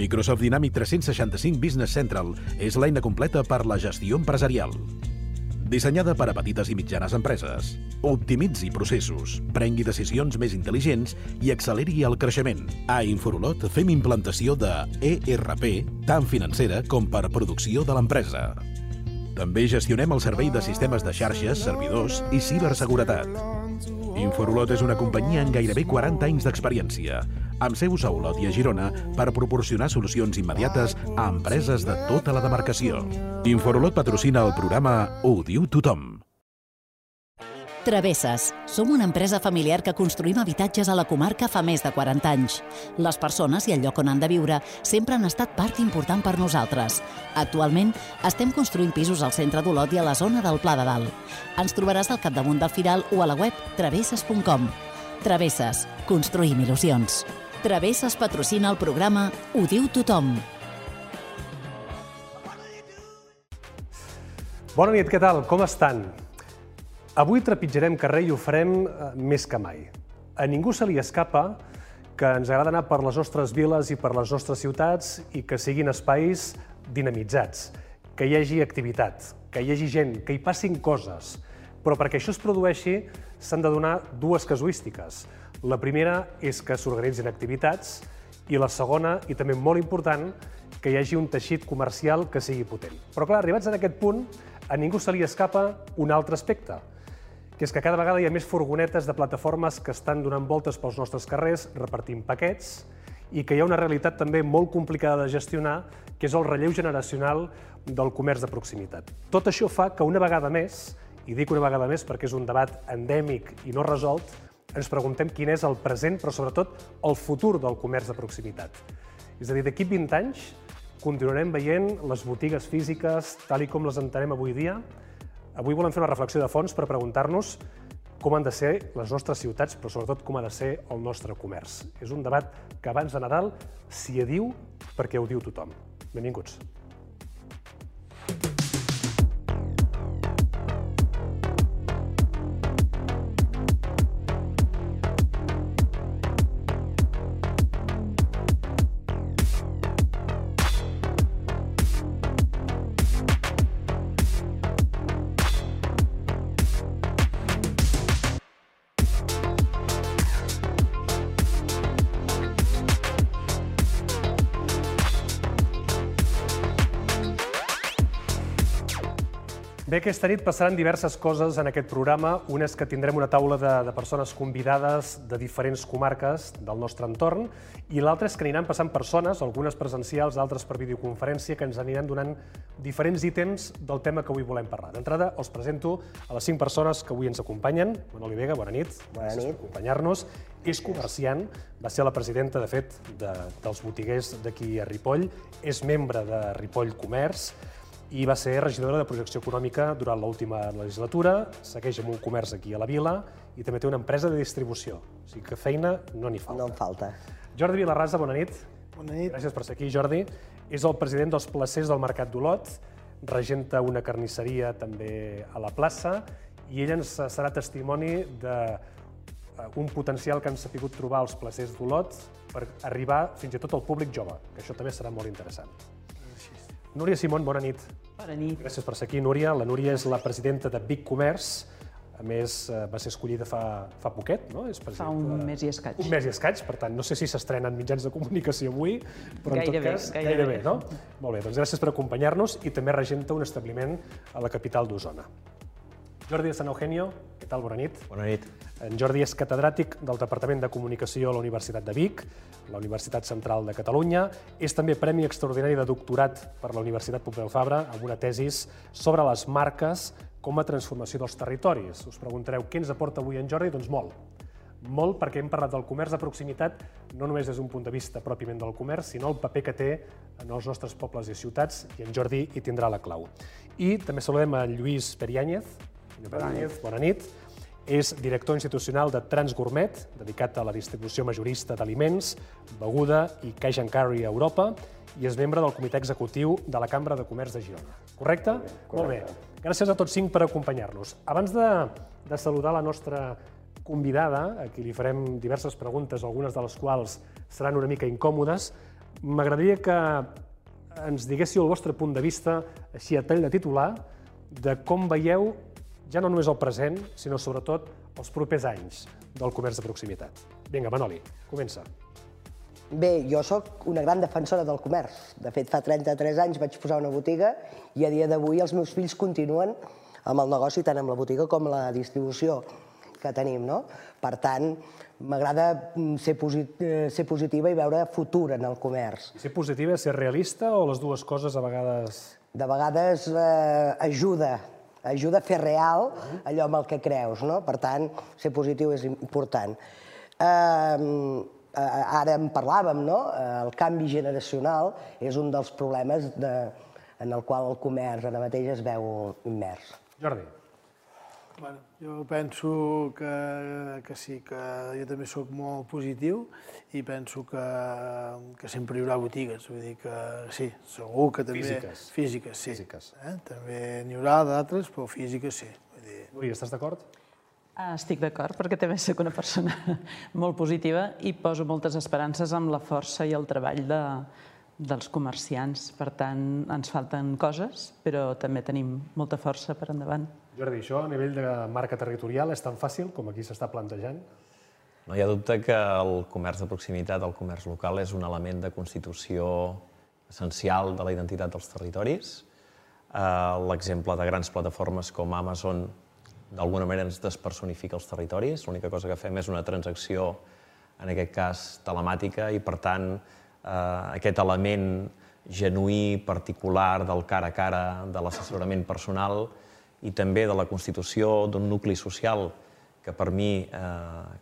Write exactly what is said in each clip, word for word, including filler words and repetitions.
Microsoft Dynamics tres-cents seixanta-cinc Business Central és l'eina completa per la gestió empresarial. Dissenyada per a petites i mitjanes empreses. Optimitzi processos, prengui decisions més intel·ligents i acceleri el creixement. A Inforolot fem implantació de E R P, tant financera com per producció de l'empresa. També gestionem el servei de sistemes de xarxes, servidors i ciberseguretat. Inforolot és una companyia amb gairebé quaranta anys d'experiència, amb seus a Olot i a Girona per proporcionar solucions immediates a empreses de tota la demarcació. Inforolot patrocina el programa Ho diu tothom. Travesses. Som una empresa familiar que construïm habitatges a la comarca fa més de quaranta anys. Les persones i el lloc on han de viure sempre han estat part important per nosaltres. Actualment, estem construint pisos al centre d'Olot i a la zona del Pla de Dalt. Ens trobaràs al capdamunt del Firal o a la web travesses punt com. Travesses. Construïm il·lusions. Travesses patrocina el programa Ho diu tothom. Bona nit, què tal? Com estan? Avui trepitjarem carrer i ho farem més que mai. A ningú se li escapa que ens agrada anar per les nostres viles i per les nostres ciutats i que siguin espais dinamitzats, que hi hagi activitat, que hi hagi gent, que hi passin coses. Però perquè això es produeixi s'han de donar dues casuístiques. La primera és que s'organitzin activitats i la segona, i també molt important, que hi hagi un teixit comercial que sigui potent. Però clar, arribats en aquest punt, a ningú se li escapa un altre aspecte, que és que cada vegada hi ha més furgonetes de plataformes que estan donant voltes pels nostres carrers, repartint paquets, i que hi ha una realitat també molt complicada de gestionar, que és el relleu generacional del comerç de proximitat. Tot això fa que una vegada més, i dic una vegada més perquè és un debat endèmic i no resolt, ens preguntem quin és el present, però sobretot el futur del comerç de proximitat. És a dir, d'aquí vint anys continuarem veient les botigues físiques tal i com les entenem avui dia. Avui volem fer una reflexió de fons per preguntar-nos com han de ser les nostres ciutats, però sobretot com ha de ser el nostre comerç. És un debat que abans de Nadal s'hi adiu perquè ho diu tothom. Benvinguts. Bé, aquesta nit passaran diverses coses en aquest programa. Una és que tindrem una taula de, de persones convidades de diferents comarques del nostre entorn i l'altra és que aniran passant persones, algunes presencials, altres per videoconferència, que ens aniran donant diferents ítems del tema que avui volem parlar. D'entrada, els presento a les cinc persones que avui ens acompanyen. Manoli Vega, bona nit. Bona nit. Gràcies per acompanyar-nos. És comerciant, va ser la presidenta, de fet, de, dels botiguers d'aquí a Ripoll, és membre de Ripoll Comerç, i va ser regidora de projecció econòmica durant l'última legislatura, segueix amb un comerç aquí a la vila i també té una empresa de distribució. O sigui que feina no n'hi falta. No en falta. Jordi Vilarrasa, bona nit. Bona nit. Gràcies per ser aquí, Jordi. És el president dels placers del Mercat d'Olot, regenta una carnisseria també a la plaça i ell ens serà testimoni d'un potencial que han sabut trobar els placers d'Olot per arribar fins i tot al públic jove, que això també serà molt interessant. Núria Simón, bona nit. Bona nit. Gràcies per ser aquí, Núria. La Núria és la presidenta de Vic Comerç. A més, va ser escollida fa, fa poquet, no? És fa un de... mes i escaig. Un mes i escaig, per tant, no sé si s'estrenen mitjans de comunicació avui, però en tot gairebé, cas, gairebé. gairebé, no? Molt bé, doncs gràcies per acompanyar-nos i també regenta un establiment a la capital d'Osona. Jordi de San Eugenio, què tal? Bona nit. Bona nit. En Jordi és catedràtic del Departament de Comunicació a la Universitat de Vic, la Universitat Central de Catalunya. És també Premi Extraordinari de Doctorat per la Universitat Pompeu Fabra amb una tesis sobre les marques com a transformació dels territoris. Us preguntareu què ens aporta avui en Jordi? Doncs molt. Molt perquè hem parlat del comerç de proximitat no només des d'un punt de vista pròpiament del comerç, sinó el paper que té en els nostres pobles i ciutats, i en Jordi hi tindrà la clau. I també saludem a Lluís Periáñez. Bona nit. Bona nit. És director institucional de Transgourmet, dedicat a la distribució majorista d'aliments, beguda i cash and carry a Europa, i és membre del comitè executiu de la Cambra de Comerç de Girona. Correcte? Molt bé. Gràcies a tots cinc per acompanyar-nos. Abans de, de saludar la nostra convidada, a qui li farem diverses preguntes, algunes de les quals seran una mica incòmodes, m'agradaria que ens diguéssiu el vostre punt de vista, així a tall de titular, de com veieu ja no només el present, sinó sobretot els propers anys del comerç de proximitat. Vinga, Manoli, comença. Bé, jo sóc una gran defensora del comerç. De fet, fa trenta-tres anys vaig posar una botiga i a dia d'avui els meus fills continuen amb el negoci, tant amb la botiga com la distribució que tenim, no? Per tant, m'agrada ser positiva i veure futur en el comerç. Ser positiva és ser realista o les dues coses a vegades... De vegades ajuda, ajuda a fer real allò amb el que creus, no? Per tant, ser positiu és important. Ara en parlàvem, no? El canvi generacional és un dels problemes en el qual el comerç ara mateix es veu immers. Jordi. Bueno, jo penso que sí, que jo també sóc molt positiu i penso que sempre hi haurà botigues, vull dir que sí, segur que també... Físiques. Físiques, sí. També n'hi haurà d'altres, però físiques sí. Núria, estàs d'acord? Estic d'acord, perquè també soc una persona molt positiva i poso moltes esperances amb la força i el treball dels comerciants. Per tant, ens falten coses, però també tenim molta força per endavant. Jordi, això a nivell de marca territorial és tan fàcil com aquí s'està plantejant? No hi ha dubte que el comerç de proximitat, el comerç local, és un element de constitució essencial de la identitat dels territoris. L'exemple de grans plataformes com Amazon d'alguna manera ens despersonifica els territoris. L'única cosa que fem és una transacció, en aquest cas telemàtica, i per tant aquest element genuí, particular, del cara a cara, de l'assessorament personal i també de la constitució d'un nucli social que per mi,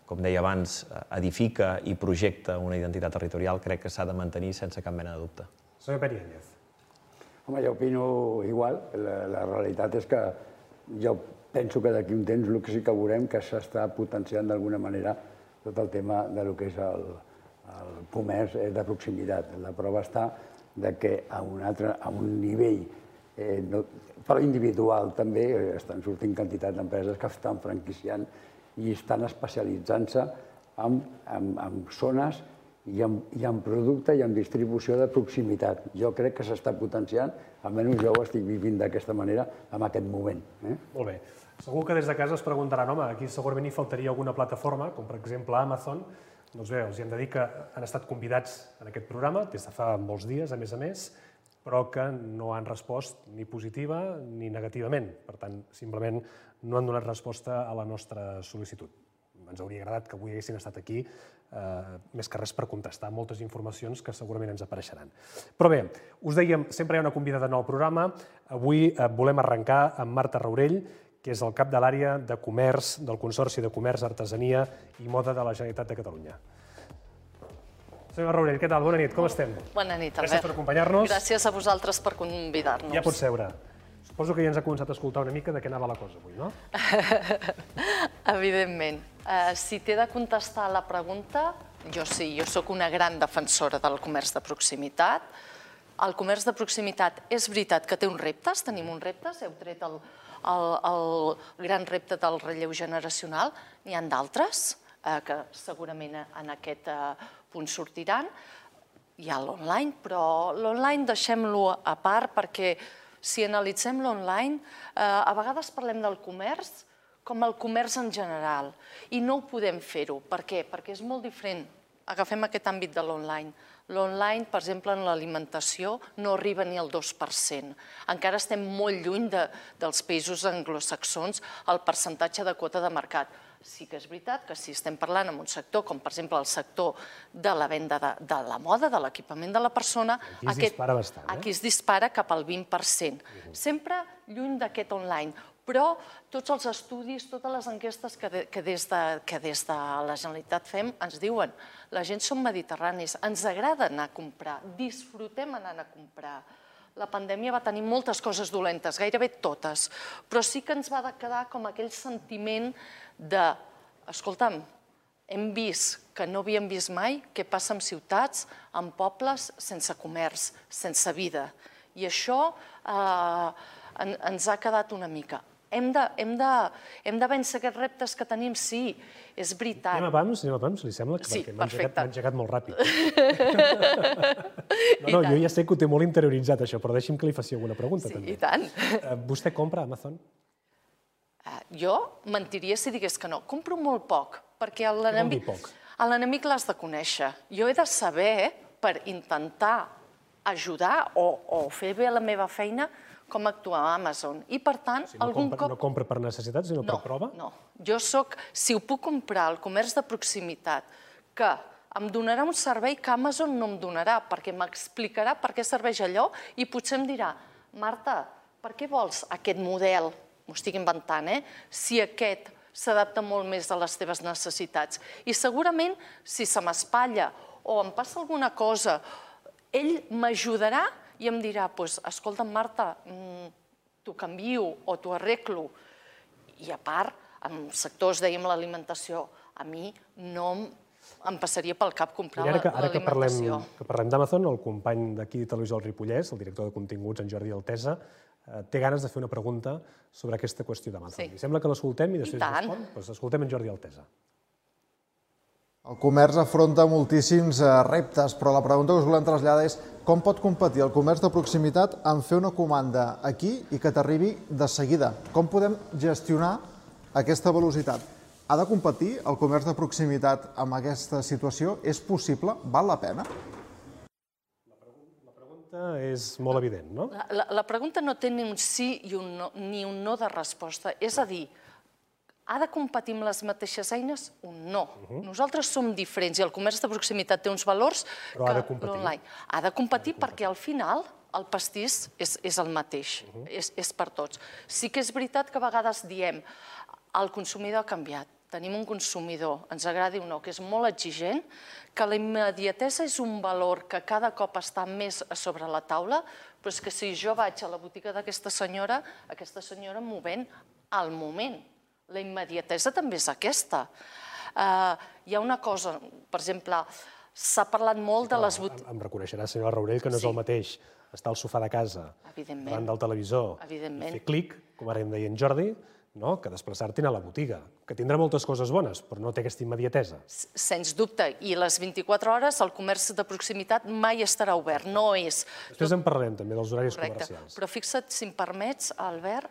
com deia abans, edifica i projecta una identitat territorial, crec que s'ha de mantenir sense cap mena de dubte. Senyor Períñez. Home, jo opino igual. La realitat és que jo penso que d'aquí un temps el que sí que veurem que s'està potenciant d'alguna manera tot el tema del que és el comerç de proximitat. La prova està que a un nivell però individual també estan sortint quantitat d'empreses que estan franquiciant i estan especialitzant-se en zones i en producte i en distribució de proximitat. Jo crec que s'està potenciant, almenys jo ho estic vivint d'aquesta manera en aquest moment. Molt bé. Segur que des de casa es preguntaran, home, aquí segurament hi faltaria alguna plataforma, com per exemple Amazon. Doncs bé, els hem de dir que han estat convidats en aquest programa des de fa molts dies, a més a més, però que no han respost ni positiva ni negativament. Per tant, simplement no han donat resposta a la nostra sol·licitud. Ens hauria agradat que avui haguessin estat aquí, més que res per contestar moltes informacions que segurament ens apareixeran. Però bé, us dèiem, sempre hi ha una convidada en el programa. Avui volem arrencar amb Marta Raurell, que és el cap de l'àrea de comerç del Consorci de Comerç, Artesania i Moda de la Generalitat de Catalunya. Senyora Raurell, què tal? Bona nit, com estem? Bona nit, Albert. Gràcies per acompanyar-nos. Gràcies a vosaltres per convidar-nos. Ja pots seure. Suposo que ja ens ha començat a escoltar una mica de què anava la cosa avui, no? Evidentment. Si t'he de contestar a la pregunta, jo sí, jo sóc una gran defensora del comerç de proximitat. El comerç de proximitat és veritat que té uns reptes, tenim uns reptes, heu tret el gran repte del relleu generacional, n'hi ha d'altres que segurament en aquest punt sortiran. Hi ha l'online, però l'online deixem-lo a part perquè si analitzem l'online, a vegades parlem del comerç com el comerç en general i no ho podem fer-ho. Per què? Perquè és molt diferent. Agafem aquest àmbit de l'online. L'online, per exemple, en l'alimentació no arriba ni al dos per cent. Encara estem molt lluny dels països anglosaxons el percentatge de quota de mercat. Sí que és veritat que si estem parlant en un sector com, per exemple, el sector de la venda de la moda, de l'equipament de la persona, aquí es dispara cap al vint per cent. Sempre lluny d'aquest online. Però tots els estudis, totes les enquestes que des de la Generalitat fem ens diuen la gent som mediterranis, ens agrada anar a comprar, disfrutem anar a comprar. La pandèmia va tenir moltes coses dolentes, gairebé totes, però sí que ens va quedar com aquell sentiment de, escolta'm, hem vist que no havíem vist mai què passa en ciutats, en pobles, sense comerç, sense vida. I això ens ha quedat una mica. Hem de, hem de, hem de vèncer aquests reptes que tenim, sí, és veritat. Anem a pams, anem a pams, li sembla? Sí, Perquè m'ha perfecte. engegat molt ràpid. No, no, jo ja sé que ho té molt interioritzat, això, però deixi'm que li faci alguna pregunta, també. Sí, i tant. Vostè compra a Amazon? Jo mentiria si digués que no. Compro molt poc, perquè l'enemic l'has de conèixer. Jo he de saber, per intentar ajudar o fer bé la meva feina, com actuar a Amazon. I, per tant, algun cop... No compra per necessitat, sinó per prova? No, no. Jo soc... Si ho puc comprar al comerç de proximitat, que em donarà un servei que Amazon no em donarà, perquè m'explicarà per què serveix allò i potser em dirà, Marta, per què vols aquest model? M'ho estic inventant, eh? Si aquest s'adapta molt més a les teves necessitats. I segurament, si se m'espatlla o em passa alguna cosa, ell m'ajudarà i em dirà, escolta, Marta, t'ho canvio o t'ho arreglo. I a part, en sectors, dèiem, l'alimentació, a mi no em passaria pel cap comprar l'alimentació. Ara que parlem d'Amazon, el company d'aquí de Televisió del Ripollès, el director de continguts, en Jordi Altesa, té ganes de fer una pregunta sobre aquesta qüestió d'Amazon. Li sembla que l'escoltem i després respon? Doncs escoltem en Jordi Altesa. El comerç afronta moltíssims reptes, però la pregunta que us volem traslladar és com pot competir el comerç de proximitat en fer una comanda aquí i que t'arribi de seguida? Com podem gestionar aquesta velocitat? Ha de competir el comerç de proximitat amb aquesta situació? És possible? Val la pena? La pregunta és molt evident, no? La pregunta no té ni un sí ni un no de resposta. És a dir, ha de competir amb les mateixes eines? Un no. Nosaltres som diferents i el comerç de proximitat té uns valors que l'online. Ha de competir perquè al final el pastís és el mateix, és per tots. Sí que és veritat que a vegades diem el consumidor ha canviat. Tenim un consumidor, ens agradi o no, que és molt exigent, que la immediatesa és un valor que cada cop està més a sobre la taula, però és que si jo vaig a la botiga d'aquesta senyora, aquesta senyora m'ho ven al moment. La immediatesa també és aquesta. Hi ha una cosa, per exemple, s'ha parlat molt de les botigues... Em reconeixerà, senyora Raurell, que no és el mateix estar al sofà de casa, davant del televisor, i fer clic, com ara em deia en Jordi, que desplaçar-te a la botiga, que tindrà moltes coses bones, però no té aquesta immediatesa. Sens dubte, i les vint-i-quatre hores el comerç de proximitat mai estarà obert, no és... Després en parlarem també dels horaris comercials. Però fixa't, si em permets, Albert,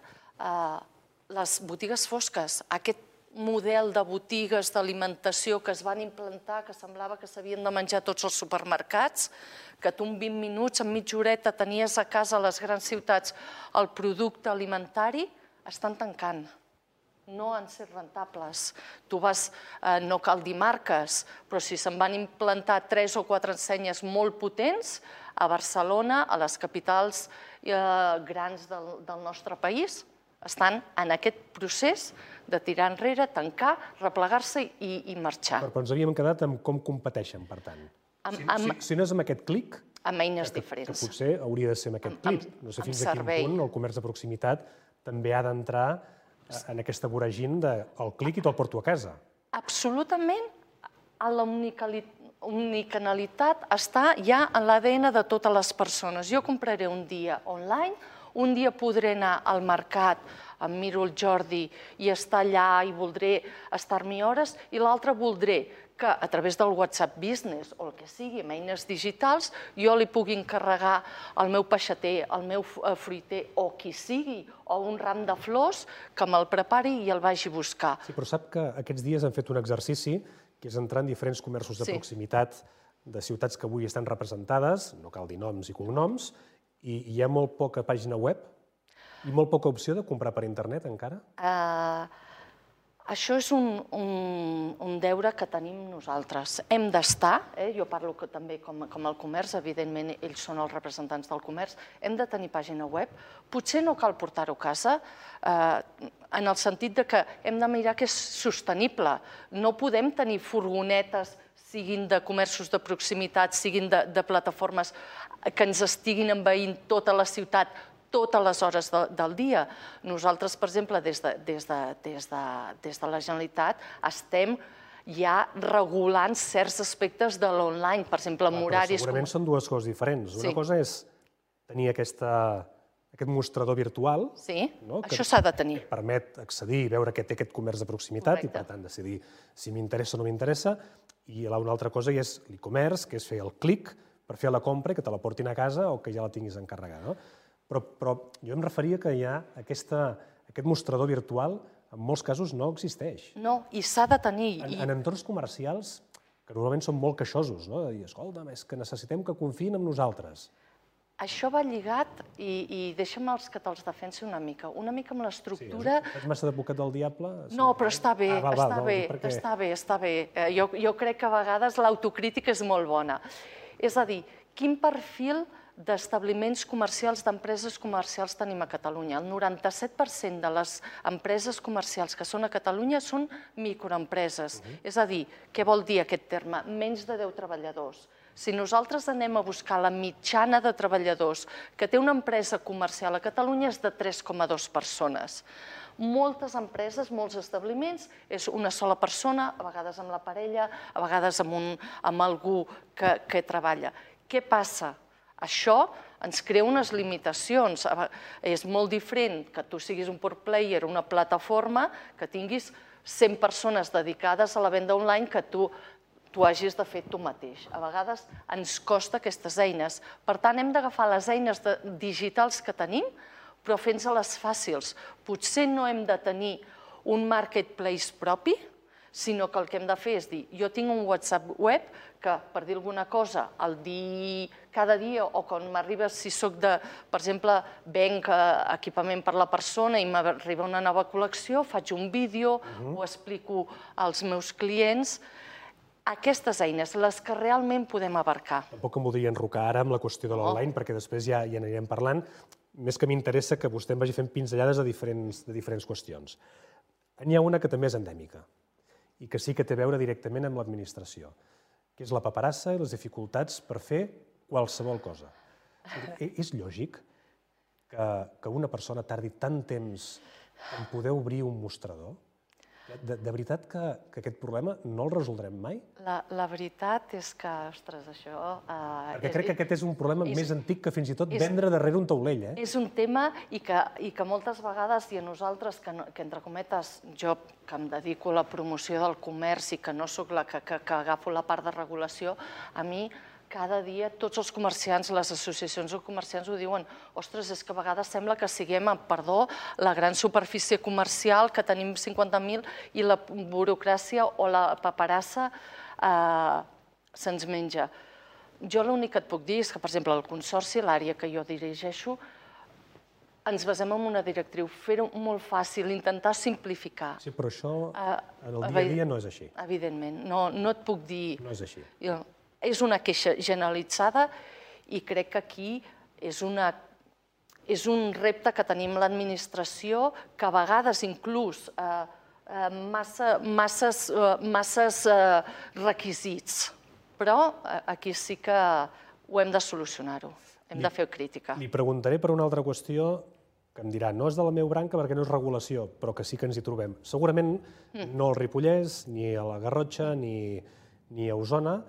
les botigues fosques, aquest model de botigues d'alimentació que es van implantar, que semblava que s'havien de menjar tots els supermercats, que tu en vint minuts, en mitja horeta, tenies a casa a les grans ciutats el producte alimentari, estan tancant. No han set rentables. Tu vas, no cal dir marques, però si se'n van implantar tres o quatre ensenyes molt potents a Barcelona, a les capitals grans del nostre país, estan en aquest procés de tirar enrere, tancar, replegar-se i marxar. Però ens havíem quedat amb com competeixen, per tant. Si no és amb aquest clic... Amb eines diferents. Que potser hauria de ser amb aquest clic. No sé fins a quin punt el comerç de proximitat també ha d'entrar en aquesta voragina del clic i te'l porto a casa. Absolutament. La unicanalitat està ja en l'A D N de totes les persones. Jo compraré un dia online, un dia podré anar al mercat, em miro el Jordi i estar allà i voldré estar-m'hi hores, i l'altre voldré que a través del WhatsApp Business o el que sigui, amb eines digitals, jo li pugui encarregar al meu peixater, al meu fruiter o qui sigui, o un ram de flors, que me'l prepari i el vagi a buscar. Sí, però sap que aquests dies hem fet un exercici que és entrar en diferents comerços de proximitat de ciutats que avui estan representades, no cal dir noms i cognoms, i hi ha molt poca pàgina web i molt poca opció de comprar per internet encara? Això és un deure que tenim nosaltres. Hem d'estar, jo parlo també com el comerç, evidentment ells són els representants del comerç, hem de tenir pàgina web. Potser no cal portar-ho a casa, en el sentit que hem de mirar que és sostenible. No podem tenir furgonetes, siguin de comerços de proximitat, siguin de plataformes que ens estiguin envaint tota la ciutat, totes les hores del dia. Nosaltres, per exemple, des de la Generalitat estem ja regulant certs aspectes de l'online, per exemple, amb horaris... Segurament són dues coses diferents. Una cosa és tenir aquesta aquest mostrador virtual. Sí, això s'ha de tenir. Que permet accedir i veure què té aquest comerç de proximitat i, per tant, decidir si m'interessa o no m'interessa. I una altra cosa és l'e-commerce, que és fer el clic per fer la compra i que te la portin a casa o que ja la tinguis encarregada. Però jo em referia que hi ha aquest mostrador virtual, en molts casos no existeix. No, i s'ha de tenir. En entorns comercials, que normalment són molt queixosos, no? De dir, escolta, és que necessitem que confiïn en nosaltres. Això va lligat, i deixa'm els que te'ls defensi una mica, una mica amb l'estructura... Sí, ets massa d'advocat del diable? No, però està bé, està bé, està bé, està bé. Jo crec que a vegades l'autocrítica és molt bona. És a dir, quin perfil d'establiments comercials, d'empreses comercials tenim a Catalunya? El noranta-set per cent de les empreses comercials que són a Catalunya són microempreses. És a dir, què vol dir aquest terme? Menys de deu treballadors. Si nosaltres anem a buscar la mitjana de treballadors que té una empresa comercial a Catalunya és de tres coma dos persones. Moltes empreses, molts establiments, és una sola persona, a vegades amb la parella, a vegades amb algú que treballa. Què passa? Això ens crea unes limitacions. És molt diferent que tu siguis un pure player, una plataforma, que tinguis cent persones dedicades a la venda online que tu t'ho hagis de fer tu mateix. A vegades ens costa aquestes eines. Per tant, hem d'agafar les eines digitals que tenim, però fent-se-les fàcils. Potser no hem de tenir un marketplace propi, sinó que el que hem de fer és dir, jo tinc un WhatsApp web que, per dir alguna cosa, el dir cada dia o quan m'arriba, si soc de, per exemple, venc equipament per la persona i m'arriba una nova col·lecció, faig un vídeo, ho explico als meus clients. Aquestes eines, les que realment podem abarcar. Tampoc em voldria enrocar ara amb la qüestió de l'online, perquè després ja hi anirem parlant. Més que m'interessa que vostè em vagi fent pinzellades de diferents qüestions. N'hi ha una que també és endèmica i que sí que té a veure directament amb l'administració, que és la paperassa i les dificultats per fer qualsevol cosa. És lògic que una persona tardi tant temps en poder obrir un mostrador? De veritat que aquest problema no el resoldrem mai? La veritat és que, ostres, això... Perquè crec que aquest és un problema més antic que fins i tot vendre darrere un taulell. És un tema i que moltes vegades, i a nosaltres, que entre cometes, jo que em dedico a la promoció del comerç i que no sóc la que agafo la part de regulació, a mi cada dia tots els comerciants, les associacions de comerciants ho diuen, ostres, és que a vegades sembla que siguem, perdó, la gran superfície comercial, que tenim cinquanta mil i la burocràcia o la paperassa se'ns menja. Jo l'únic que et puc dir és que, per exemple, el consorci, l'àrea que jo dirigeixo, ens basem en una directriu, fer-ho molt fàcil, intentar simplificar. Sí, però això en el dia a dia no és així. Evidentment, no et puc dir... No és així. És una queixa generalitzada i crec que aquí és un repte que tenim l'administració, que a vegades inclús masses requisits. Però aquí sí que ho hem de solucionar-ho, hem de fer crítica. Li preguntaré per una altra qüestió que em dirà, no és de la meva branca perquè no és regulació, però que sí que ens hi trobem. Segurament no al Ripollès, ni a la Garrotxa, ni a Osona,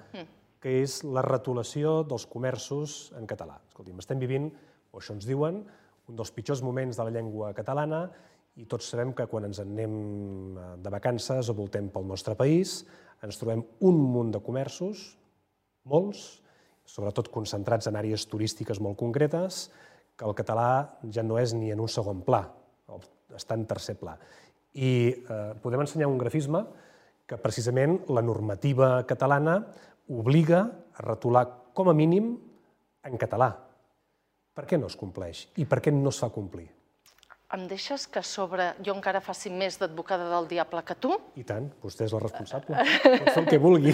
que és la retolació dels comerços en català. Escolti'm, estem vivint, o això ens diuen, un dels pitjors moments de la llengua catalana i tots sabem que quan ens anem de vacances o voltem pel nostre país ens trobem un munt de comerços, molts, sobretot concentrats en àrees turístiques molt concretes, que el català ja no és ni en un segon pla, està en tercer pla. I podem ensenyar un grafisme que precisament la normativa catalana obliga a retolar com a mínim en català. Per què no es compleix? I per què no es fa complir? Em deixes que sobre jo encara faci més d'advocada del diable que tu? I tant, vostè és la responsable. Pot fer el que vulgui.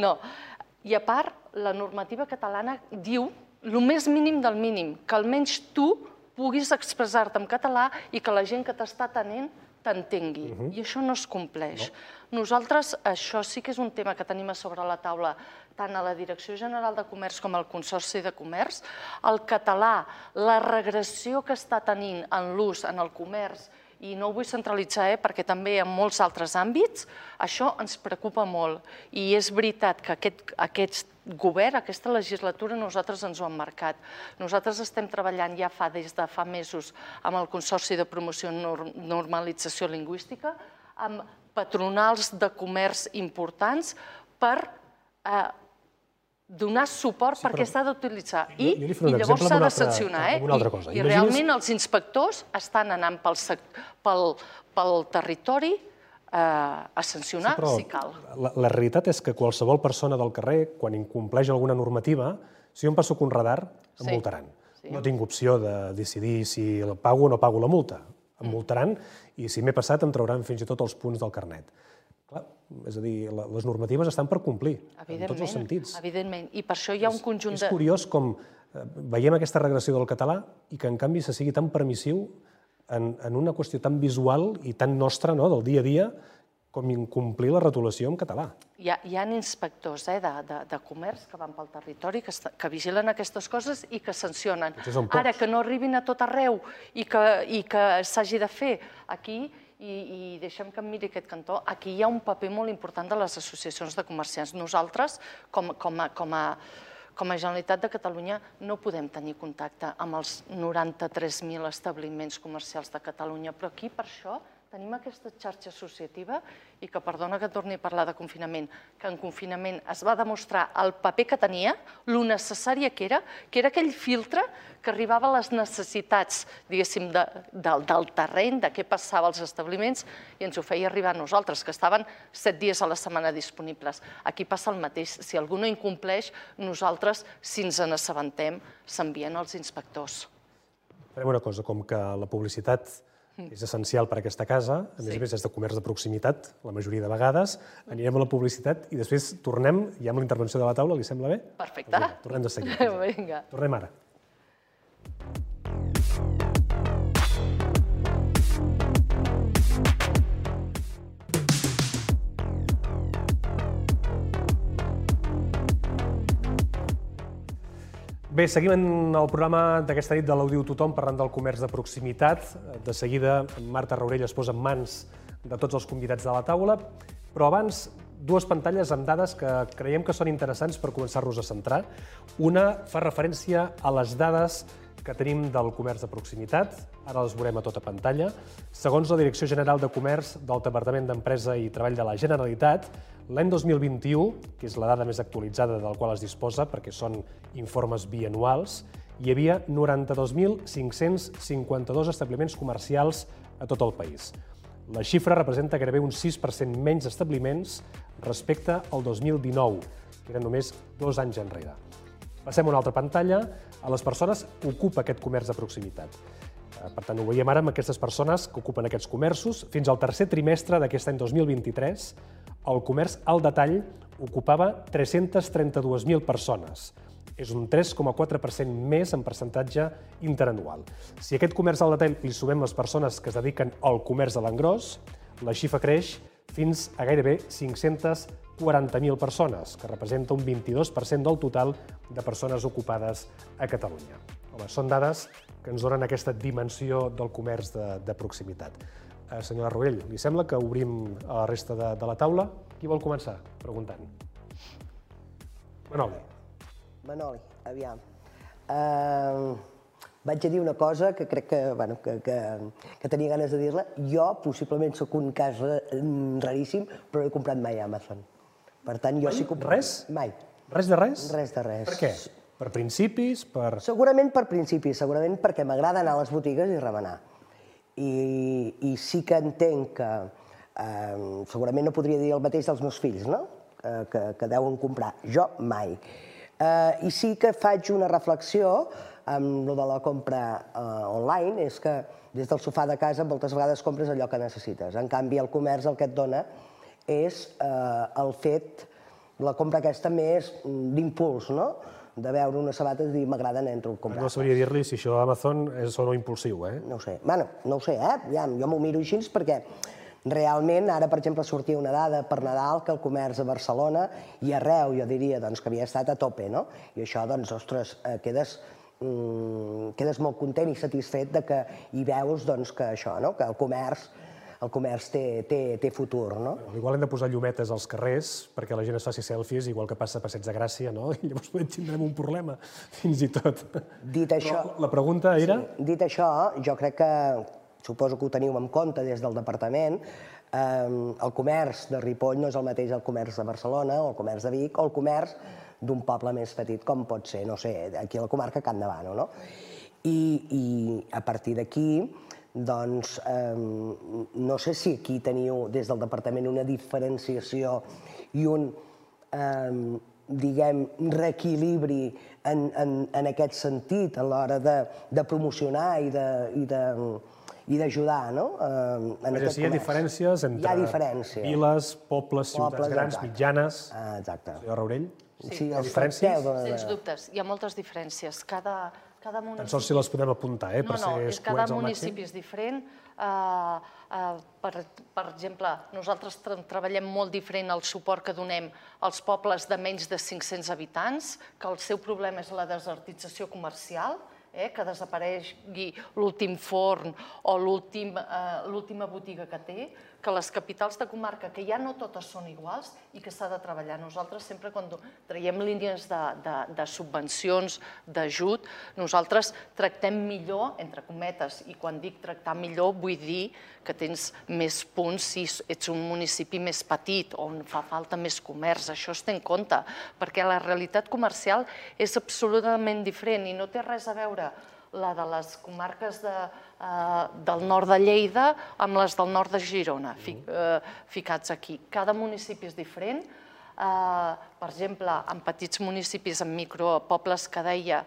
No. I a part, la normativa catalana diu el més mínim del mínim, que almenys tu puguis expressar-te en català i que la gent que t'està atenent t'entengui. I això no es compleix. Nosaltres, això sí que és un tema que tenim a sobre la taula, tant a la Direcció General de Comerç com al Consorci de Comerç. El català, la regressió que està tenint en l'ús en el comerç i no ho vull centralitzar, eh, perquè també en molts altres àmbits això ens preocupa molt. I és veritat que aquest, aquest govern, aquesta legislatura, nosaltres ens ho hem marcat. Nosaltres estem treballant ja fa des de fa mesos amb el Consorci de Promoció i Normalització Lingüística, amb patronals de comerç importants per eh, donar suport perquè s'ha d'utilitzar i llavors s'ha de sancionar. I realment els inspectors estan anant pel territori a sancionar si cal. La realitat és que qualsevol persona del carrer, quan incompleix alguna normativa, si jo em passo un radar, em multaran. No tinc opció de decidir si pago o no pago la multa. Em multaran i si m'he passat em trauran fins i tot els punts del carnet. Clar, és a dir, les normatives estan per complir, en tots els sentits. Evidentment, i per això hi ha un conjunt de... És curiós com veiem aquesta regressió del català i que en canvi se sigui tan permissiu en una qüestió tan visual i tan nostra del dia a dia com incomplir la retolació en català. Hi ha inspectors de comerç que van pel territori, que vigilen aquestes coses i que sancionen. Ara, que no arribin a tot arreu i que s'hagi de fer aquí, i deixem que em miri aquest cantó, aquí hi ha un paper molt important de les associacions de comerciants. Nosaltres, com a Generalitat de Catalunya, no podem tenir contacte amb els noranta-tres mil establiments comercials de Catalunya, però aquí, per això, tenim aquesta xarxa associativa i que, perdona que torni a parlar de confinament, que en confinament es va demostrar el paper que tenia, lo necessària que era, que era aquell filtre que arribava a les necessitats, diguéssim, del terreny, de què passava als establiments, i ens ho feia arribar a nosaltres, que estaven set dies a la setmana disponibles. Aquí passa el mateix. Si algú no incompleix, nosaltres, si ens n'assabentem, s'envien els inspectors. Farem una cosa, com que la publicitat és essencial per a aquesta casa, a més a més és de comerç de proximitat, la majoria de vegades, anirem a la publicitat i després tornem, ja amb la intervenció de la taula, li sembla bé? Perfecte. Tornem de seguida. Vinga. Tornem ara. Bé, seguim en el programa d'aquesta nit de l'Audiu Tothom parlant del comerç de proximitat. De seguida, Marta Raurell es posa en mans de tots els convidats de la taula, però abans, dues pantalles amb dades que creiem que són interessants per començar-nos a centrar. Una fa referència a les dades que tenim del comerç de proximitat, ara les veurem a tota pantalla. Segons la Direcció General de Comerç del Departament d'Empresa i Treball de la Generalitat, l'any dos mil vint-i-u, que és la dada més actualitzada del qual es disposa, perquè són informes bianuals, hi havia noranta-dos mil cinc-cents cinquanta-dos establiments comercials a tot el país. La xifra representa gairebé un sis per cent menys establiments respecte al dos mil dinou, que eren només dos anys enrere. Passem a una altra pantalla. A les persones que ocupa aquest comerç de proximitat. Per tant, ho veiem ara amb aquestes persones que ocupen aquests comerços. Fins al tercer trimestre d'aquest any dos mil vint-i-tres, el comerç al detall ocupava tres-centes trenta-dues mil persones. És un tres coma quatre per cent més en percentatge interanual. Si a aquest comerç al detall li sumem les persones que es dediquen al comerç a l'engròs, la xifra creix fins a gairebé cinc-centes quaranta mil persones, que representa un vint-i-dos per cent del total de persones ocupades a Catalunya. Home, són dades que ens donen aquesta dimensió del comerç de proximitat. Senyora Raurell, li sembla que obrim a la resta de la taula? Qui vol començar preguntant? Manoli. Manoli, aviam. Vaig a dir una cosa que crec que tenia ganes de dir-la. Jo, possiblement, sóc un cas raríssim, però no he comprat mai a Amazon. Per tant, jo sí que... Res? Mai. Res de res? Res de res. Per què? Per principis? Segurament per principis, segurament perquè m'agrada anar a les botigues i remenar. I sí que entenc que segurament no podria dir el mateix dels meus fills, no? Que deuen comprar. Jo mai. I sí que faig una reflexió amb el de la compra online, és que des del sofà de casa moltes vegades compres allò que necessites. En canvi, el comerç el que et dona és el fet, la compra aquesta més d'impuls, no? De veure una sabata i dir, m'agrada, entro a comprar. No sabria dir-li si això d'Amazon és o no impulsiu, eh? No ho sé. Bueno, no ho sé, eh? Jo m'ho miro així perquè realment, ara, per exemple, sortia una dada per Nadal que el comerç a Barcelona i arreu, jo diria, que havia estat a tope, no? I això, doncs, ostres, quedes quedes molt content i satisfet que hi veus que això, que el comerç el comerç té futur. Igual hem de posar llumetes als carrers perquè la gent es faci selfies, igual que passa a Passeig de Gràcia, i llavors tindrem un problema, fins i tot. Dit això... La pregunta era... Dit això, jo crec que, suposo que ho teniu en compte des del departament, el comerç de Ripoll no és el mateix el comerç de Barcelona o el comerç de Vic o el comerç d'un poble més petit com pot ser, no sé, aquí a la comarca Can Davano, no? I a partir d'aquí, doncs, no sé si aquí teniu des del departament una diferenciació i un, diguem, reequilibri en aquest sentit a l'hora de promocionar i d'ajudar, no? Hi ha diferències entre viles, pobles, ciutats grans, mitjanes... Exacte. Senyor Raurell? Sí, els diferències? Sens dubtes, hi ha moltes diferències. Cada municipi... Tan sols si les podem apuntar, eh, per ser escuets al màxim. Cada municipi és diferent. Per exemple, nosaltres treballem molt diferent el suport que donem als pobles de menys de cinc-cents habitants, que el seu problema és la desertització comercial, que desaparegui l'últim forn o l'última botiga que té, que les capitals de comarca, que ja no totes són iguals i que s'ha de treballar. Nosaltres sempre quan traiem línies de subvencions, d'ajut, nosaltres tractem millor, entre cometes, i quan dic tractar millor vull dir que tens més punts si ets un municipi més petit, on fa falta més comerç. Això es té en compte, perquè la realitat comercial és absolutament diferent i no té res a veure la de les comarques del nord de Lleida amb les del nord de Girona, ficats aquí. Cada municipi és diferent. Per exemple, en petits municipis, en micropobles que deia,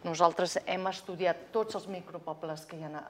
nosaltres hem estudiat tots els micropobles que hi ha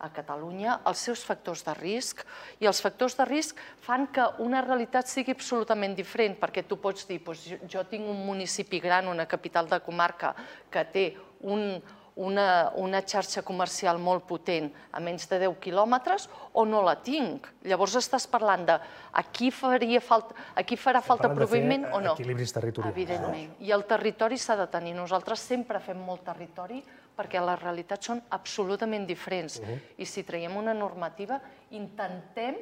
a Catalunya, els seus factors de risc, i els factors de risc fan que una realitat sigui absolutament diferent, perquè tu pots dir, jo tinc un municipi gran, una capital de comarca, que té un una xarxa comercial molt potent a menys de deu quilòmetres o no la tinc. Llavors estàs parlant de aquí farà falta proveïment o no. Equilibris territorials. Evidentment. I el territori s'ha de tenir. Nosaltres sempre fem molt territori perquè les realitats són absolutament diferents. I si traiem una normativa, intentem,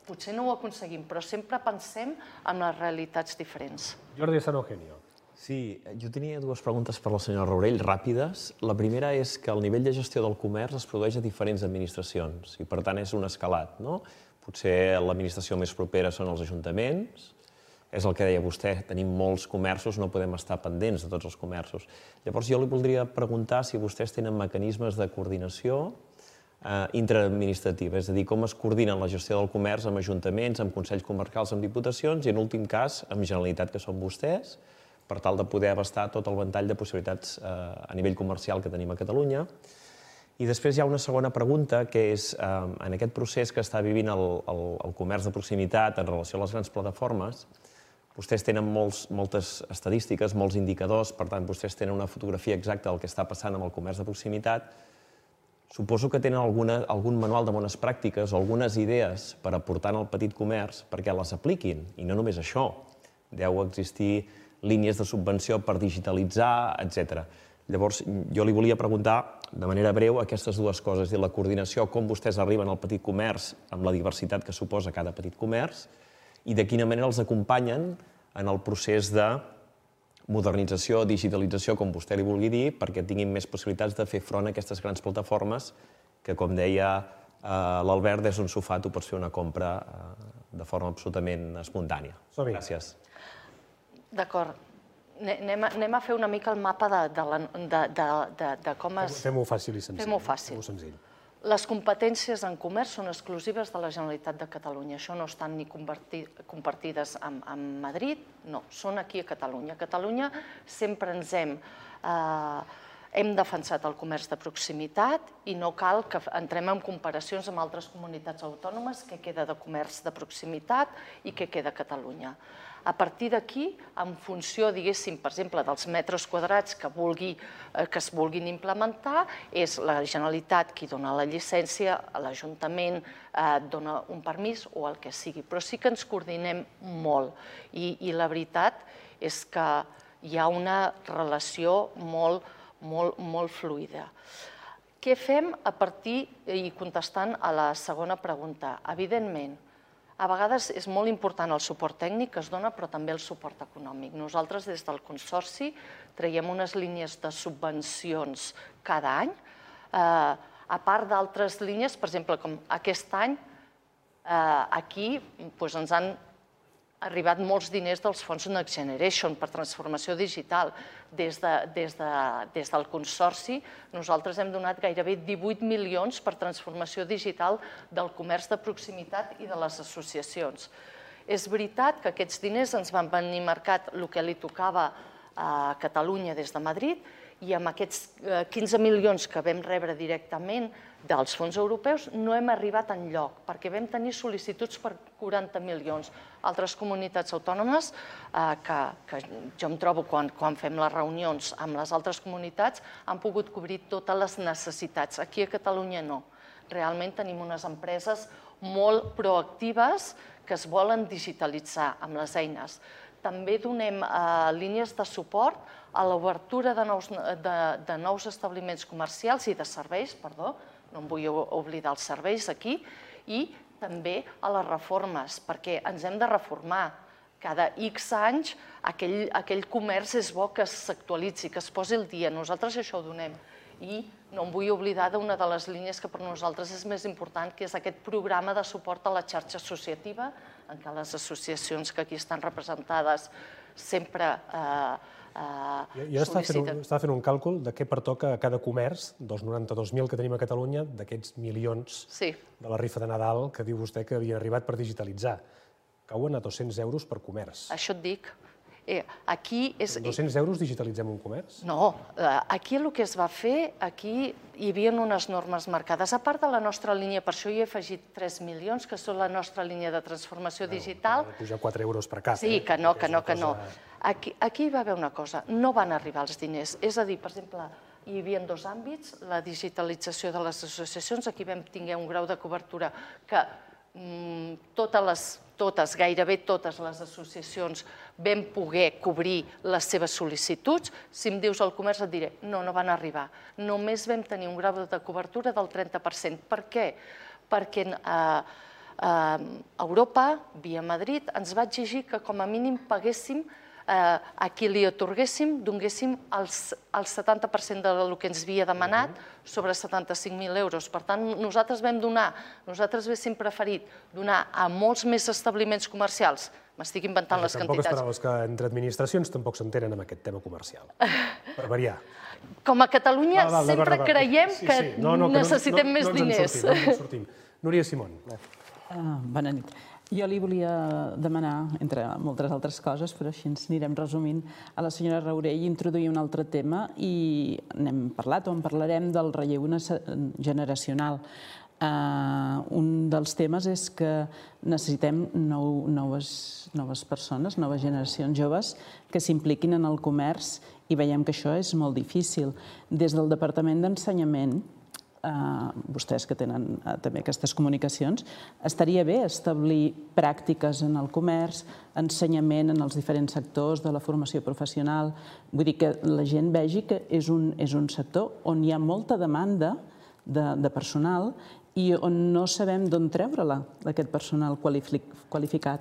potser no ho aconseguim, però sempre pensem en les realitats diferents. Jordi San Eugenio. Sí, jo tenia dues preguntes per la senyora Raurell, ràpides. La primera és que el nivell de gestió del comerç es produeix a diferents administracions i, per tant, és un escalat, no? Potser l'administració més propera són els ajuntaments, és el que deia vostè, tenim molts comerços, no podem estar pendents de tots els comerços. Llavors, jo li voldria preguntar si vostès tenen mecanismes de coordinació intraadministrativa, és a dir, com es coordinen la gestió del comerç amb ajuntaments, amb consells comarcals, amb diputacions i, en últim cas, amb Generalitat, que són vostès, per tal de poder abastar tot el ventall de possibilitats a nivell comercial que tenim a Catalunya. I després hi ha una segona pregunta, que és, en aquest procés que està vivint el comerç de proximitat en relació a les grans plataformes, vostès tenen moltes estadístiques, molts indicadors, per tant, vostès tenen una fotografia exacta del que està passant amb el comerç de proximitat. Suposo que tenen algun manual de bones pràctiques o algunes idees per aportar al petit comerç perquè les apliquin, i no només això. Deu existir línies de subvenció per digitalitzar, etcètera. Llavors, jo li volia preguntar, de manera breu, aquestes dues coses, la coordinació, com vostès arriben al petit comerç amb la diversitat que suposa cada petit comerç i de quina manera els acompanyen en el procés de modernització, digitalització, com vostè li vulgui dir, perquè tinguin més possibilitats de fer front a aquestes grans plataformes que, com deia l'Albert, des d'un sofà tu pots fer una compra de forma absolutament espontània. Gràcies. D'acord. Anem a fer una mica el mapa de com es... Fem-ho fàcil i senzill. Fem-ho fàcil. Les competències en comerç són exclusives de la Generalitat de Catalunya. Això no estan ni compartides amb Madrid, no, són aquí a Catalunya. A Catalunya sempre ens hem... Hem defensat el comerç de proximitat i no cal que entrem en comparacions amb altres comunitats autònomes que queda de comerç de proximitat i que queda a Catalunya. A partir d'aquí, en funció, diguéssim, per exemple, dels metres quadrats que es vulguin implementar, és la Generalitat qui dona la llicència, l'Ajuntament dona un permís o el que sigui. Però sí que ens coordinem molt i la veritat és que hi ha una relació molt molt fluida. Què fem a partir, i contestant a la segona pregunta? Evidentment, a vegades és molt important el suport tècnic que es dona, però també el suport econòmic. Nosaltres, des del Consorci, traiem unes línies de subvencions cada any, a part d'altres línies, per exemple, com aquest any, aquí ens han arribat molts diners dels fons Next Generation per transformació digital. Des del Consorci, nosaltres hem donat gairebé divuit milions per transformació digital del comerç de proximitat i de les associacions. És veritat que aquests diners ens van venir marcat el que li tocava a Catalunya des de Madrid, i amb aquests quinze milions que vam rebre directament dels fons europeus no hem arribat enlloc, perquè vam tenir sol·licituds per quaranta milions. Altres comunitats autònomes, que jo em trobo quan fem les reunions amb les altres comunitats, han pogut cobrir totes les necessitats. Aquí a Catalunya no. Realment tenim unes empreses molt proactives que es volen digitalitzar amb les eines. També donem línies de suport a l'obertura de nous establiments comercials i de serveis, perdó, no em vull oblidar els serveis aquí, i també a les reformes, perquè ens hem de reformar. Cada X anys aquell comerç és bo que s'actualitzi, que es posi al dia. Nosaltres això ho donem. I no em vull oblidar d'una de les línies que per nosaltres és més important, que és aquest programa de suport a la xarxa associativa, en què les associacions que aquí estan representades sempre sol·liciten. Jo estava fent un càlcul de què pertoca a cada comerç, dels noranta-dos mil que tenim a Catalunya, d'aquests milions de la rifa de Nadal que diu vostè que havia arribat per digitalitzar. Cauen a dos-cents euros per comerç. Això et dic. dos-cents euros digitalitzem un comerç? No, aquí el que es va fer, aquí hi havia unes normes marcades. A part de la nostra línia, per això hi he afegit tres milions, que són la nostra línia de transformació digital. Ha de pujar quatre euros per cap. Sí, que no, que no, que no. Aquí hi va haver una cosa, no van arribar els diners. És a dir, per exemple, hi havia dos àmbits, la digitalització de les associacions, aquí vam tinguer un grau de cobertura que totes les totes, gairebé totes les associacions vam poder cobrir les seves sol·licituds. Si em dius el comerç et diré, no, no van arribar. Només vam tenir un grau de cobertura del trenta per cent. Per què? Perquè Europa, via Madrid, ens va exigir que com a mínim paguéssim, a qui li atorguéssim, donéssim el setanta per cent del que ens havia demanat, sobre setanta-cinc mil euros. Per tant, nosaltres vam donar, nosaltres haguéssim preferit donar a molts més establiments comercials. M'estic inventant les quantitats. Tampoc esperaves que entre administracions tampoc s'entenen amb aquest tema comercial, per variar. Com a Catalunya sempre creiem que necessitem més diners. No ens en sortim. Núria Simón. Bona nit. Jo li volia demanar, entre moltes altres coses, però així ens anirem resumint, a la senyora Raurell introduir un altre tema i n'hem parlat o en parlarem del relleu generacional. Un dels temes és que necessitem noves persones, noves generacions joves que s'impliquin en el comerç i veiem que això és molt difícil. Des del Departament d'Ensenyament, vostès que tenen també aquestes comunicacions, estaria bé establir pràctiques en el comerç, ensenyament en els diferents sectors de la formació professional. Vull dir que la gent vegi que és un sector on hi ha molta demanda de personal i on no sabem d'on treure-la, d'aquest personal qualificat.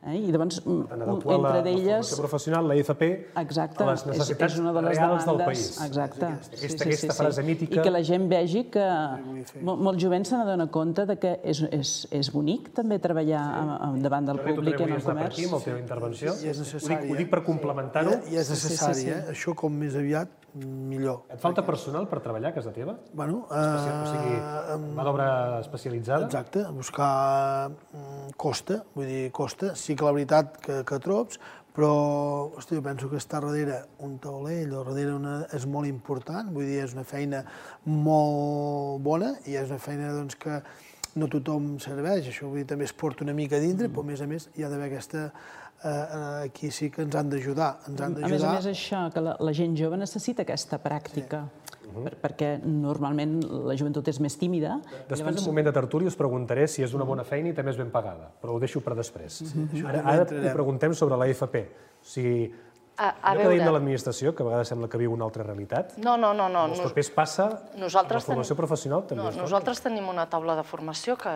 I llavors, entre d'elles... La formació professional, la F P, a les necessitats reals del país. Exacte. Aquesta frase mítica... I que la gent vegi que molt jovent se n'adona compte que és bonic també treballar davant del públic en el comerç. Aquí, amb la teva intervenció. Ho dic per complementar-ho. I és necessari, eh? Això com més aviat, millor. Et falta personal per treballar a casa teva? Bueno... O sigui, mà d'obra especialitzada? Exacte, buscar costa, vull dir, costa. Sí que la veritat que trobs, però, hosti, jo penso que està darrere un taulell o darrere és molt important, vull dir, és una feina molt bona i és una feina que no tothom serveix, això vull dir, també es porta una mica a dintre, però a més a més hi ha d'haver aquesta... Aquí sí que ens han d'ajudar. A més a més, això, que la gent jove necessita aquesta pràctica, perquè normalment la joventut és més tímida. Després, en un moment de tertúlia, us preguntaré si és una bona feina i també és ben pagada, però ho deixo per després. Ara ho preguntem sobre la F P. O sigui, Allò que deim de l'administració, que a vegades sembla que viu una altra realitat, no, no, no, no. els papers passa, la formació professional també. Nosaltres tenim una taula de formació que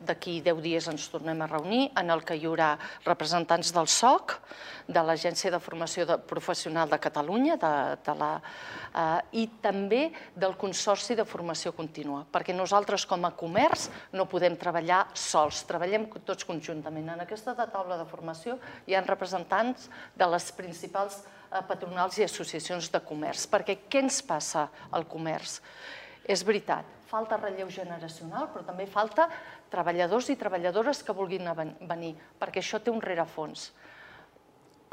d'aquí deu dies ens tornem a reunir, en el que hi haurà representants del S O C, de l'Agència de Formació Professional de Catalunya i també del Consorci de Formació Contínua, perquè nosaltres com a comerç no podem treballar sols, treballem tots conjuntament. En aquesta taula de formació hi ha representants de les principals patronals i associacions de comerç, perquè què ens passa al comerç? És veritat, falta relleu generacional, però també falta treballadors i treballadores que vulguin venir, perquè això té un rerefons.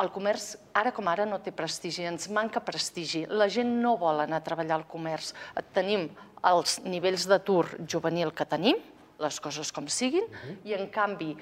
El comerç, ara com ara, no té prestigi, ens manca prestigi. La gent no vol anar a treballar al comerç. Tenim els nivells d'atur juvenil que tenim, les coses com siguin, i en canvi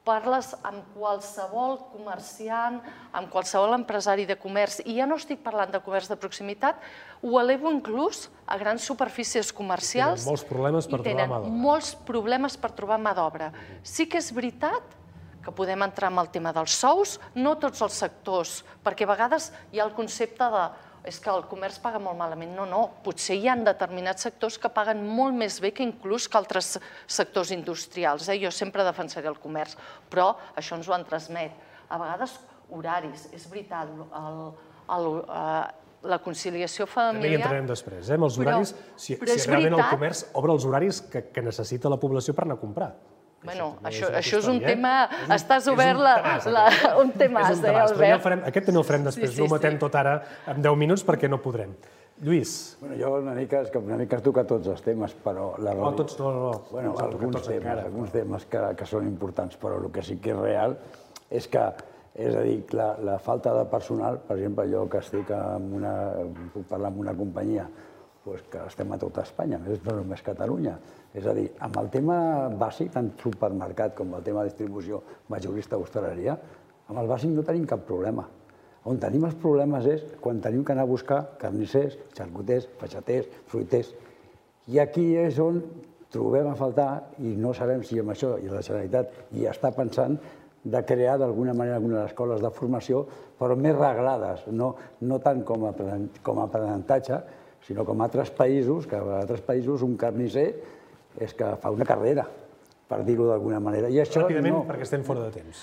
parles amb qualsevol comerciant, amb qualsevol empresari de comerç, i ja no estic parlant de comerç de proximitat, ho elevo inclús a grans superfícies comercials. Tenen molts problemes per trobar mà d'obra. Tenen molts problemes per trobar mà d'obra. Sí que és veritat que podem entrar en el tema dels sous, no tots els sectors, perquè a vegades hi ha el concepte de és que el comerç paga molt malament. No, no, potser hi ha determinats sectors que paguen molt més bé que inclús que altres sectors industrials. Jo sempre defensaré el comerç, però això ens ho han transmet. A vegades, horaris, és veritat, la conciliació familiar... També hi entrarem després, amb els horaris, si realment el comerç obre els horaris que necessita la població per anar a comprar. Bueno, això és un tema... Estàs obert un tema, eh, Albert? Aquest també el farem després, no ho matem tot ara en deu minuts perquè no podrem. Lluís. Jo una mica has tocat tots els temes, però... No, tots no, no. Bueno, alguns temes, alguns temes que són importants, però el que sí que és real és que, és a dir, la falta de personal, per exemple, jo que estic en una... puc parlar amb una companyia que estem a tota Espanya, no només Catalunya. És a dir, amb el tema bàsic, tant supermercat com el tema de distribució majorista o hostaleria, amb el bàsic no tenim cap problema. On tenim els problemes és quan tenim que anar a buscar carnissers, xarcuters, peixaters, fruiters. I aquí és on trobem a faltar, i no sabem si amb això i la Generalitat hi està pensant, de crear d'alguna manera algunes escoles de formació, però més reglades, no tant com a aprenentatge, sinó com a altres països, que a altres països un carnisser és que fa una carrera, per dir-ho d'alguna manera. Ràpidament, perquè estem fora de temps.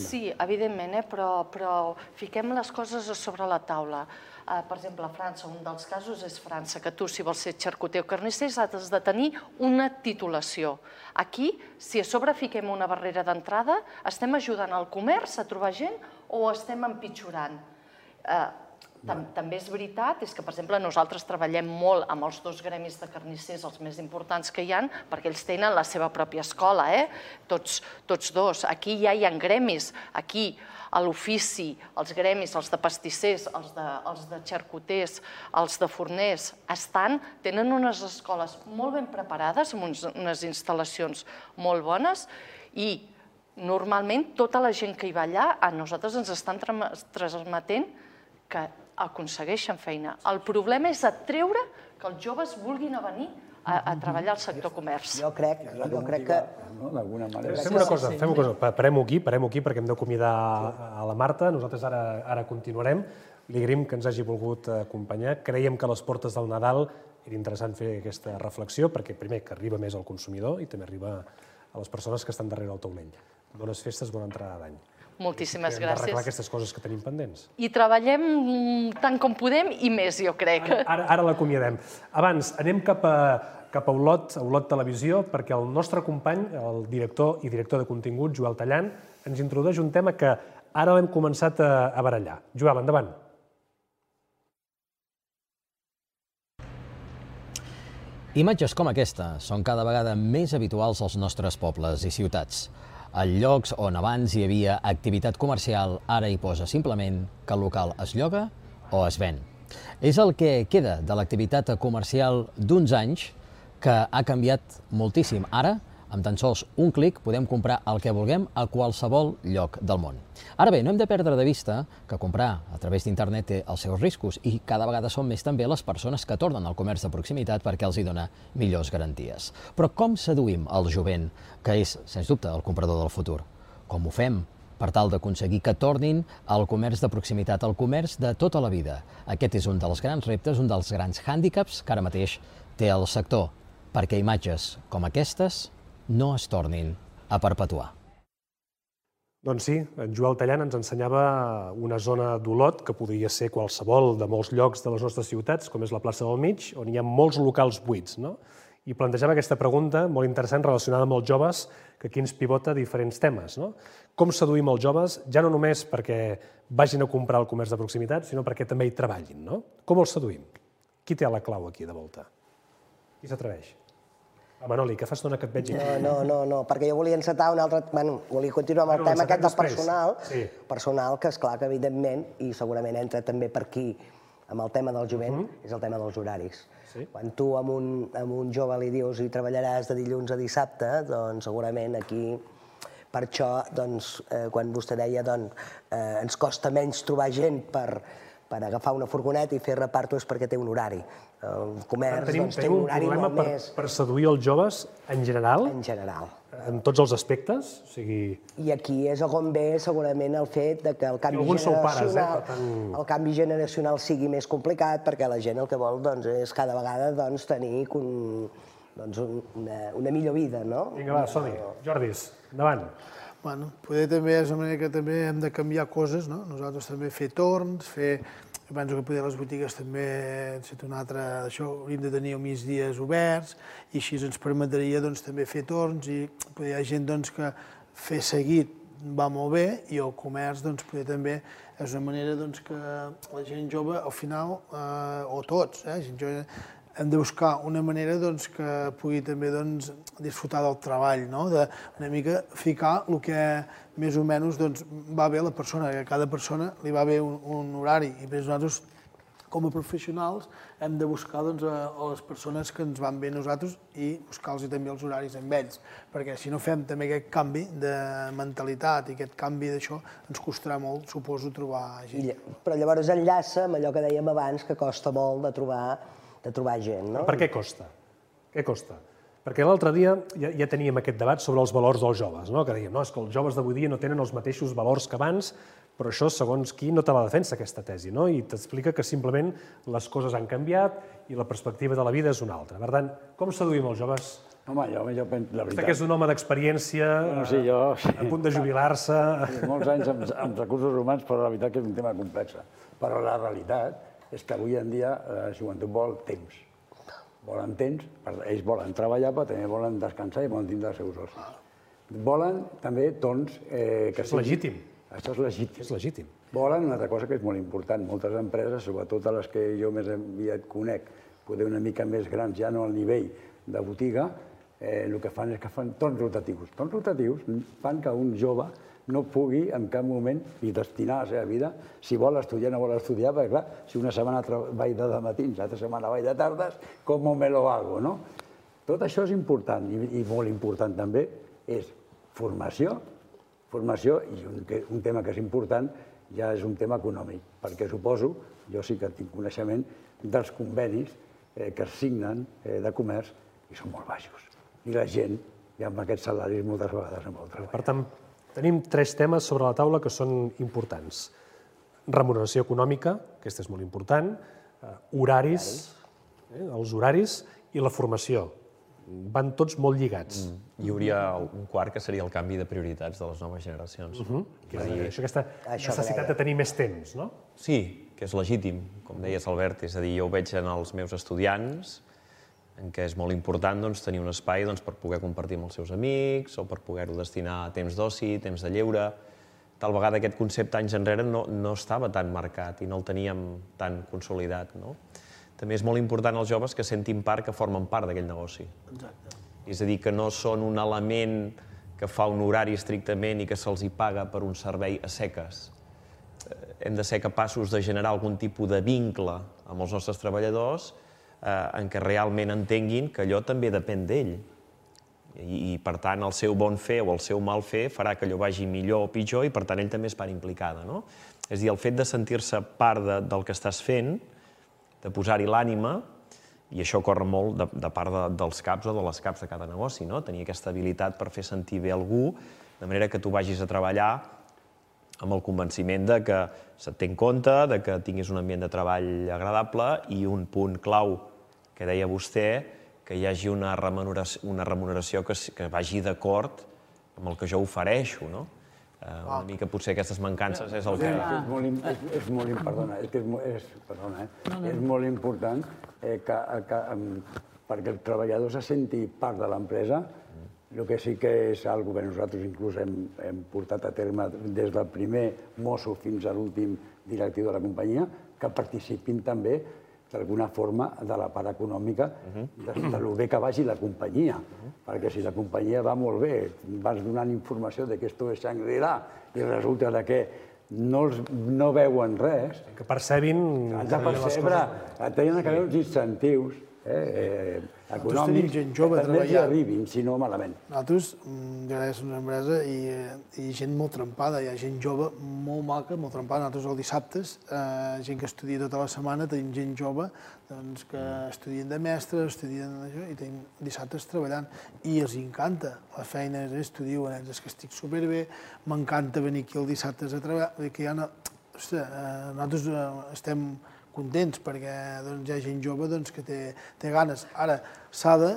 Sí, evidentment, però fiquem les coses sobre la taula. Per exemple, a França, un dels casos és França, que tu, si vols ser xarcuter o carnisser, has de tenir una titulació. Aquí, si a sobre fiquem una barrera d'entrada, estem ajudant al comerç a trobar gent o estem empitjorant? També és veritat, és que, per exemple, nosaltres treballem molt amb els dos gremis de carnissers, els més importants que hi ha, perquè ells tenen la seva pròpia escola, tots dos. Aquí ja hi ha gremis, aquí a l'ofici, els gremis, els de pastissers, els de xarcuters, els de forners, estan, tenen unes escoles molt ben preparades, amb unes instal·lacions molt bones, i normalment tota la gent que hi va allà, a nosaltres ens estan transmetent que aconsegueixen feina. El problema és atreure que els joves vulguin venir a treballar al sector comerç. Jo crec que... Fem una cosa, fem una cosa. Parem-ho aquí, parem-ho aquí perquè hem d'acomiadar a la Marta. Nosaltres ara continuarem. Li agraïm que ens hagi volgut acompanyar. Creiem que a les portes del Nadal era interessant fer aquesta reflexió perquè, primer, que arriba més al consumidor i també arriba a les persones que estan darrere del taulell. Bones festes, bona entrada d'any. Moltíssimes gràcies. Hem d'arreglar aquestes coses que tenim pendents. I treballem tant com podem i més, jo crec. Ara l'acomiadem. Abans, anem cap a Olot, a Olot Televisió, perquè el nostre company, el director i director de contingut, Joel Tallant, ens introdueix un tema que ara l'hem començat a barallar. Joel, endavant. Imatges com aquesta són cada vegada més habituals als nostres pobles i ciutats. A llocs on abans hi havia activitat comercial, ara hi posa simplement que el local es lloga o es ven. És el que queda de l'activitat comercial d'uns anys que ha canviat moltíssim. Ara, amb tan sols un clic, podem comprar el que vulguem a qualsevol lloc del món. Ara bé, no hem de perdre de vista que comprar a través d'internet té els seus riscos i cada vegada són més també les persones que tornen al comerç de proximitat perquè els hi dona millors garanties. Però com seduïm el jovent, que és, sens dubte, el comprador del futur? Com ho fem per tal d'aconseguir que tornin al comerç de proximitat, al comerç de tota la vida. Aquest és un dels grans reptes, un dels grans hàndicaps que ara mateix té el sector, perquè imatges com aquestes no es tornin a perpetuar. Doncs sí, en Joel Tallant ens ensenyava una zona d'Olot, que podria ser qualsevol de molts llocs de les nostres ciutats, com és la plaça del Mig, on hi ha molts locals buits, no? I plantejava aquesta pregunta molt interessant relacionada amb els joves, que aquí ens pivota diferents temes, no? Com seduïm els joves, ja no només perquè vagin a comprar al comerç de proximitat, sinó perquè també hi treballin, no? Com els seduïm? Qui té la clau aquí de volta? Qui s'atreveix? Ah, Manoli, que fa estona que et veig aquí. No, no, no, no, perquè jo volia encetar un altre... Bueno, volia continuar amb el tema aquest del personal, personal que, esclar, que evidentment, i segurament entra també per aquí, amb el tema del jovent, és el tema dels horaris. Quan tu a un jove li dius i treballaràs de dilluns a dissabte, doncs segurament aquí, per això, quan vostè deia, ens costa menys trobar gent per agafar una furgoneta i fer reparto és perquè té un horari. El comerç té un horari molt més... Per seduir els joves en general? En general. En tots els aspectes? I aquí és on ve segurament el fet que el canvi generacional sigui més complicat, perquè la gent el que vol és cada vegada tenir una millor vida, no? Vinga, va, som-hi. Jordis, endavant. Bueno, poder també és una manera que també hem de canviar coses, no? Nosaltres també fer torns, fer... Jo penso que poder les botigues també, set un altre, això, hauríem de tenir els migdies oberts i així ens permetria també fer torns i poder hi ha gent que fer seguit va molt bé i el comerç poder també és una manera que la gent jove al final, o tots, gent jove, hem de buscar una manera que pugui també disfrutar del treball, d'una mica ficar el que més o menys va bé a la persona, que a cada persona li va bé un horari. I nosaltres, com a professionals, hem de buscar les persones que ens van bé a nosaltres i buscar-los també els horaris amb ells, perquè si no fem també aquest canvi de mentalitat i aquest canvi d'això, ens costarà molt, suposo, trobar gent. Però llavors enllaça amb allò que dèiem abans, que costa molt de trobar de trobar gent, no? Per què costa? Què costa? Perquè l'altre dia ja teníem aquest debat sobre els valors dels joves, que dèiem, no, és que els joves d'avui dia no tenen els mateixos valors que abans, però això, segons qui, no te la defensa, aquesta tesi, i t'explica que simplement les coses han canviat i la perspectiva de la vida és una altra. Per tant, com seduïm els joves? Home, jo penso, la veritat... Vostè que és un home d'experiència, a punt de jubilar-se... Molts anys amb recursos humans, però la veritat que és un tema complex. Però la realitat és que avui en dia la joventut vol temps. Volen temps, ells volen treballar, però també volen descansar i volen tindre els seus ocis. Volen també torns... Això és legítim. Això és legítim. És legítim. Volen una altra cosa que és molt important. Moltes empreses, sobretot a les que jo més aviat conec, poder una mica més grans, ja no al nivell de botiga, el que fan és que fan torns rotatius. Torns rotatius fan que un jove no pugui en cap moment ni destinar la seva vida, si vol estudiar o no vol estudiar, perquè clar, si una setmana vaig de matins, l'altra setmana vaig de tardes, com me lo hago, no? Tot això és important i molt important també és formació, formació i un tema que és important ja és un tema econòmic, perquè suposo, jo sí que tinc coneixement dels convenis que es signen de comerç i són molt baixos. I la gent, ja amb aquests salaris, moltes vegades no vol treballar. Per tant, tenim tres temes sobre la taula que són importants. Remuneració econòmica, aquesta és molt important, horaris, els horaris i la formació. Van tots molt lligats. Hi hauria un quart que seria el canvi de prioritats de les noves generacions. Aquesta necessitat de tenir més temps, no? Sí, que és legítim, com deies, Albert. És a dir, jo ho veig en els meus estudiants, en què és molt important tenir un espai per poder compartir amb els seus amics o per poder-ho destinar a temps d'oci, temps de lleure. Tal vegada aquest concepte anys enrere no estava tan marcat i no el teníem tan consolidat. També és molt important als joves que sentin part, que formen part d'aquell negoci. És a dir, que no són un element que fa un horari estrictament i que se'ls hi paga per un servei a seques. Hem de ser capaços de generar algun tipus de vincle amb els nostres treballadors en què realment entenguin que allò també depèn d'ell. I, per tant, el seu bon fer o el seu mal fer farà que allò vagi millor o pitjor i, per tant, ell també és part implicada. És a dir, el fet de sentir-se part del que estàs fent, de posar-hi l'ànima, i això corre molt de part dels caps o de les caps de cada negoci, tenir aquesta habilitat per fer sentir bé algú, de manera que tu vagis a treballar amb el convenciment de que se't té en compte, de que tinguis un ambient de treball agradable i un punt clau que deia vostè, que hi hagi una remuneració, una remuneració que, que vagi d'acord amb el que jo ofereixo, no? Una mica potser aquestes mancances és el que... És molt, és, és molt, perdona, és, que és, és, perdona, eh? és molt important eh, que, que, perquè el treballador se senti part de l'empresa. El que sí que és algo que nosaltres inclús hem, hem portat a terme des del primer mosso fins a l'últim directiu de la companyia, que participin també d'alguna forma de la part econòmica de, de lo bé que vagi la companyia. Perquè si la companyia va molt bé, vas donant informació de que esto és Shangri-La i resulta que no, els, no veuen res... Que percebin... Has de percebre, tenen que haver uns incentius eh, econòmics gent jove que també hi treballant. arribin, si no malament. Nosaltres, ja és una empresa i, i gent molt trempada, hi ha gent jove molt maca, molt trempada. Nosaltres els dissabtes, eh, gent que estudia tota la setmana, tenim gent jove doncs, que estudien de mestres, estudien això, i tenim dissabtes treballant. I els encanta la feina, és, t'ho diuen, ells, és que estic superbé, m'encanta venir aquí els dissabtes a treballar, que hi ha una... Ostres, eh, nosaltres eh, estem contents perquè doncs, hi ha gent jove doncs, que té, té ganes. Ara, s'ha de,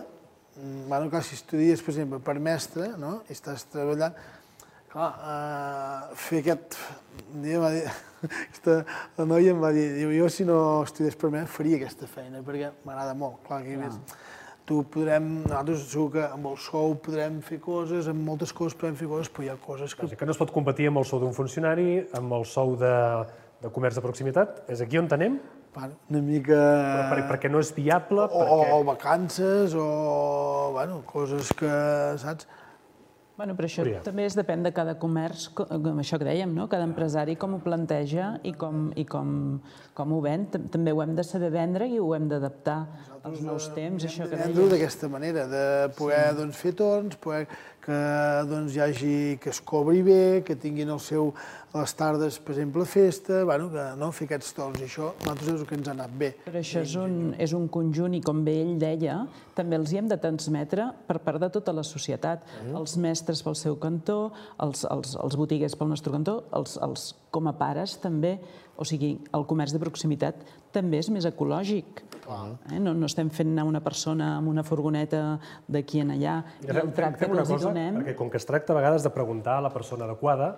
bueno, clar, si estudies, per exemple, per mestre, no? I estàs treballant, clar, eh, fer aquest... Un dia em va dir, aquesta, la noia em va dir, diu, jo si no estudies per mestre faria aquesta feina, perquè m'agrada molt. Clar, que més, tu podrem, nosaltres segur que amb el sou podrem fer coses, amb moltes coses podem fer coses, però hi ha coses que... Que no es pot competir amb el sou d'un funcionari, amb el sou de... de comerç de proximitat, és aquí on tenem? Bueno, una mica... Però per, perquè no és viable, o, perquè... O vacances, o bueno, coses que, saps? Bueno, però això també es depèn de cada comerç, com això que dèiem, no? Cada empresari com ho planteja i com, i com, com ho ven. També ho hem de saber vendre i ho hem d'adaptar als nous temps, això que dèiem. Hem de vendre d'aquesta manera, de poder sí. doncs, fer torns, poder que doncs, hi hagi, que es cobri bé, que tinguin el seu, les tardes, per exemple, festa, bueno, que no, fer aquests torns, i això nosaltres és el que ens ha anat bé. Però això és un, és un conjunt, i com bé ell deia, també els hi hem de transmetre per part de tota la societat. Mm. Els mestres pel seu cantó, els, els, els botiguers pel nostre cantó, els, els com a pares també, o sigui, el comerç de proximitat també és més ecològic. Eh? No, no estem fent anar una persona amb una furgoneta d'aquí en allà i el tracte que els hi donem... Perquè com que es tracta a vegades de preguntar a la persona adequada,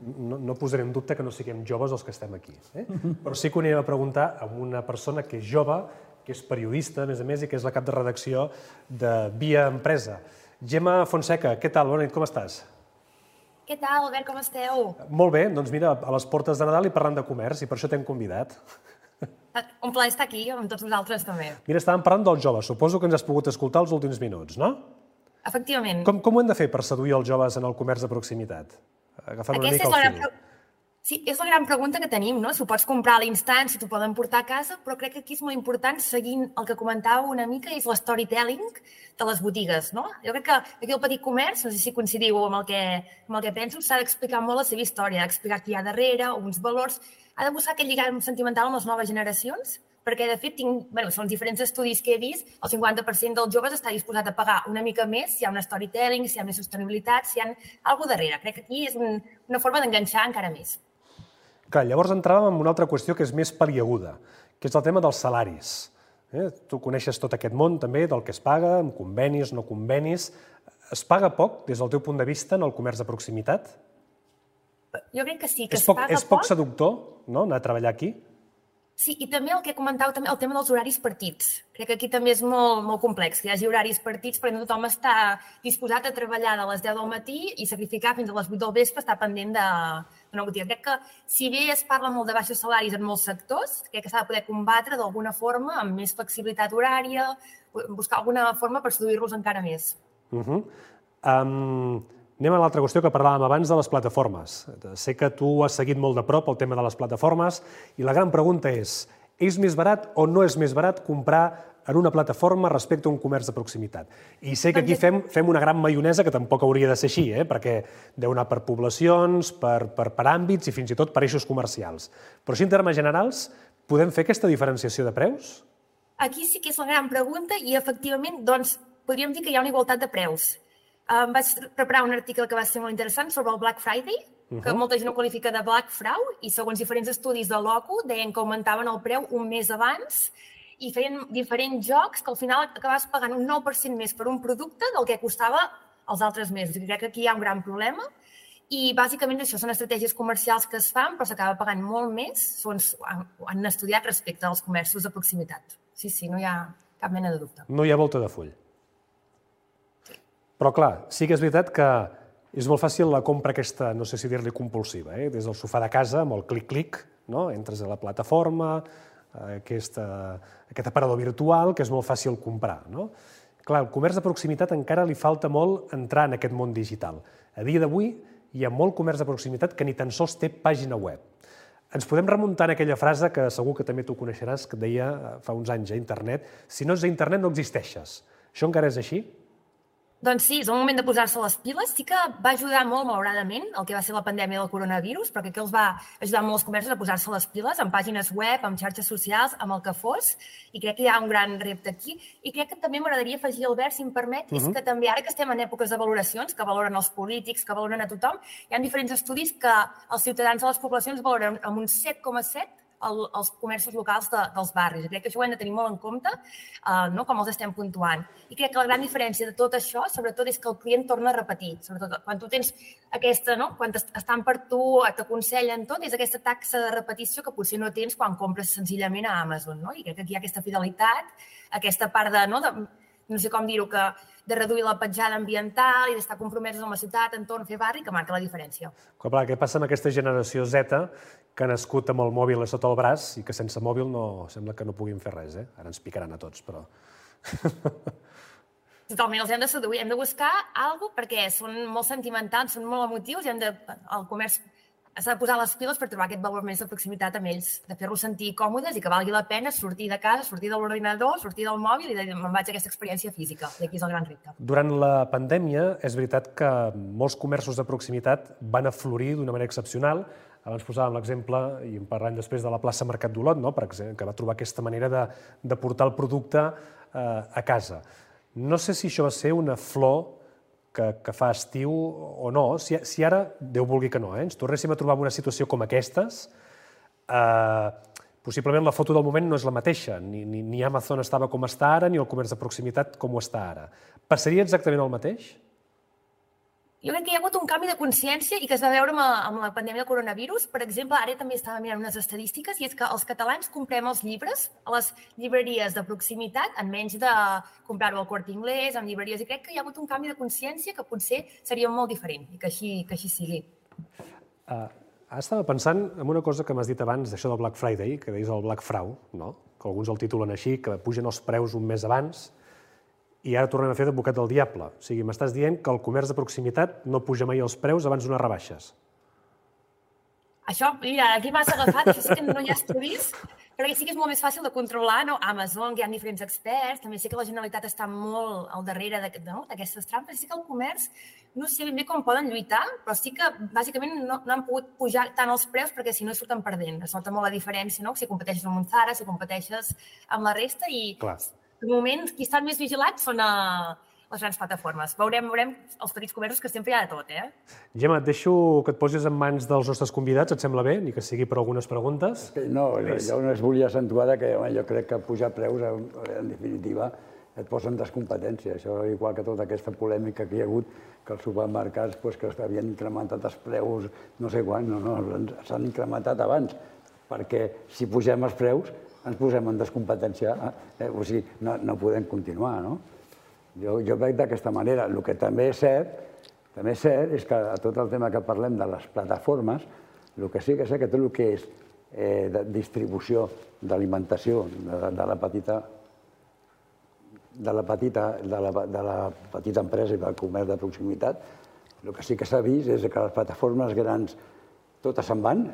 no, no posaré en dubte que no siguem joves els que estem aquí. Eh? Però sí que ho anirem a preguntar a una persona que és jove, que és periodista, a més a més, i que és la cap de redacció de Via Empresa. Gemma Fonseca, què tal? Bona nit, com estàs? Què tal, Albert, com esteu? Molt bé, doncs mira, a les portes de Nadal i parlant de comerç, i per això t'hem convidat. Un plaer estar aquí, amb tots vosaltres també. Mira, estàvem parlant dels joves, suposo que ens has pogut escoltar els últims minuts, no? Efectivament. Com, com ho hem de fer per seduir els joves en el comerç de proximitat? Agafant una mica el fil. Gran... Sí, és la gran pregunta que tenim, no? Si ho pots comprar a l'instant, si t'ho poden portar a casa, però crec que aquí és molt important, seguint el que comentàveu una mica, és l'storytelling de les botigues, no? Jo crec que aquí el petit comerç, no sé si coincidiu amb el que, amb el que penso, s'ha d'explicar molt la seva història, explicar què hi ha darrere, uns valors, ha de buscar aquest lligam sentimental amb les noves generacions, perquè, de fet, tinc, bueno, són diferents estudis que he vist, el cinquanta per cent dels joves està disposat a pagar una mica més si hi ha un storytelling, si hi ha més sostenibilitat, si hi ha alguna darrere. Crec que aquí és un, una forma d'enganxar encara més. Clar, llavors entràvem en una altra qüestió que és més paliaguda, que és el tema dels salaris. Eh? Tu coneixes tot aquest món també del que es paga, amb convenis, no convenis. Es paga poc, des del teu punt de vista, en el comerç de proximitat? Jo crec que sí, que és es poc, paga és poc. És poc seductor, no?, anar a treballar aquí? Sí, i també el que comentàveu, també el tema dels horaris partits. Crec que aquí també és molt, molt complex, que hi hagi horaris partits perquè no tothom està disposat a treballar de les deu del matí i sacrificar fins a les vuit del vespre estar pendent d'una botiga. Crec que, si bé es parla molt de baixos salaris en molts sectors, crec que s'ha de poder combatre d'alguna forma, amb més flexibilitat horària, buscar alguna forma per seduir-los encara més. Uh -huh. um... Anem a l'altra qüestió que parlàvem abans de les plataformes. Sé que tu has seguit molt de prop el tema de les plataformes i la gran pregunta és, és més barat o no és més barat comprar en una plataforma respecte a un comerç de proximitat? I sé que aquí fem, fem una gran maionesa que tampoc hauria de ser així, eh? Perquè deu anar per poblacions, per, per, per àmbits i fins i tot per eixos comercials. Però així, en termes generals, podem fer aquesta diferenciació de preus? Aquí sí que és la gran pregunta i, efectivament, doncs, podríem dir que hi ha una igualtat de preus. Em vaig preparar un article que va ser molt interessant sobre el Black Friday, que molta gent ho qualifica de Black Fraud, i segons diferents estudis de l'O C U deien que augmentaven el preu un mes abans i feien diferents jocs que al final acabaves pagant un nou per cent més per un producte del que costava els altres mesos. I crec que aquí hi ha un gran problema. I bàsicament això són estratègies comercials que es fan, però s'acaba pagant molt més, segons han estudiat respecte als comerços de proximitat. Sí, sí, no hi ha cap mena de dubte. No hi ha volta de full. Però clar, sí que és veritat que és molt fàcil la compra aquesta, no sé si dir-li compulsiva, eh? Des del sofà de casa, amb el clic-clic, no? Entres a la plataforma, aquest, aquest aparador virtual, que és molt fàcil comprar, no? Clar, al comerç de proximitat encara li falta molt entrar en aquest món digital. A dia d'avui hi ha molt comerç de proximitat que ni tan sols té pàgina web. Ens podem remuntar en aquella frase que segur que també tu coneixeràs, que et deia fa uns anys a internet, si no ets a internet no existeixes. Això encara és així? Doncs sí, és el moment de posar-se les piles. Sí que va ajudar molt, malauradament, el que va ser la pandèmia del coronavirus, perquè que els va ajudar molt els comerços a posar-se les piles, amb pàgines web, amb xarxes socials, amb el que fos, i crec que hi ha un gran repte aquí. I crec que també m'agradaria afegir, Albert, si em permet, és que també ara que estem en èpoques de valoracions, que valoren els polítics, que valoren a tothom, hi ha diferents estudis que els ciutadans de les poblacions valoren amb un set coma set els comerços locals dels barris. Crec que això ho hem de tenir molt en compte, com els estem puntuant. I crec que la gran diferència de tot això, sobretot, és que el client torna a repetir. Sobretot, quan tu tens aquesta, quan estan per tu, t'aconsellen tot, és aquesta taxa de repetició que potser no tens quan compres senzillament a Amazon. I crec que aquí hi ha aquesta fidelitat, aquesta part de, no sé com dir-ho, de reduir la petjada ambiental i d'estar compromesos amb la ciutat, entorn, fer barri, que marca la diferència. Clar, què passa amb aquesta generació Z que ha nascut amb el mòbil a sota el braç i que sense mòbil sembla que no puguin fer res, eh? Ara ens picaran a tots, però... Totalment, els hem de seduir, hem de buscar alguna cosa perquè són molt sentimentals, són molt emotius i hem de... El comerç s'ha de posar les piles per trobar aquest valor més de proximitat amb ells, de fer-los sentir còmodes i que valgui la pena sortir de casa, sortir de l'ordinador, sortir del mòbil i dir, me'n vaig a aquesta experiència física. I aquí és el gran repte. Durant la pandèmia és veritat que molts comerços de proximitat van aflorir d'una manera excepcional. Abans posàvem l'exemple, i en parlant després de la plaça Mercat d'Olot, que va trobar aquesta manera de portar el producte a casa. No sé si això va ser una flor que fa estiu o no. Si ara, Déu vulgui que no, ens tornéssim a trobar en una situació com aquestes, possiblement la foto del moment no és la mateixa. Ni Amazon estava com està ara, ni el comerç de proximitat com ho està ara. Passaria exactament el mateix? Jo crec que hi ha hagut un canvi de consciència i que es va veure amb la pandèmia del coronavirus. Per exemple, ara també estava mirant unes estadístiques i és que els catalans comprem els llibres a les llibreries de proximitat en menys de comprar-ho al Corte Inglés, en llibreries, i crec que hi ha hagut un canvi de consciència que potser seria molt diferent i que així sigui. Ara estava pensant en una cosa que m'has dit abans, d'això del Black Friday, que deies el Black Fraud, que alguns el titulen així, que pugen els preus un mes abans, i ara tornem a fer d'advocat del diable. O sigui, m'estàs dient que el comerç de proximitat no puja mai els preus abans d'unes rebaixes. Això, mira, aquí m'has agafat, això sí que no hi ha estudis, perquè sí que és molt més fàcil de controlar, no? Amazon, que hi ha diferents experts, també sé que la Generalitat està molt al darrere d'aquestes trampes, i sí que el comerç, no sé ben bé com poden lluitar, però sí que bàsicament no han pogut pujar tant els preus perquè si no surten perdent. Es nota molt la diferència, no? Si competeixes amb un Zara, si competeixes amb la resta i... De moment, qui estan més vigilats són les grans plataformes. Veurem els petits comerços que sempre hi ha de tot, eh? Gemma, et deixo que et posis en mans dels nostres convidats, et sembla bé? Ni que sigui per algunes preguntes. No, jo només volia accentuar que jo crec que pujar preus, en definitiva, et posa en descompetència. Això, igual que tota aquesta polèmica que hi ha hagut, que els supermercats que havien incrementat els preus no sé quan, no, no, s'han incrementat abans, perquè si pugem els preus ens posem en descompetència, o sigui, no podem continuar, no? Jo veig d'aquesta manera. El que també és cert, també és cert, és que a tot el tema que parlem de les plataformes, el que sí que sé que tot el que és distribució d'alimentació de la petita de la petita de la petita empresa i del comerç de proximitat, el que sí que s'ha vist és que les plataformes grans totes se'n van,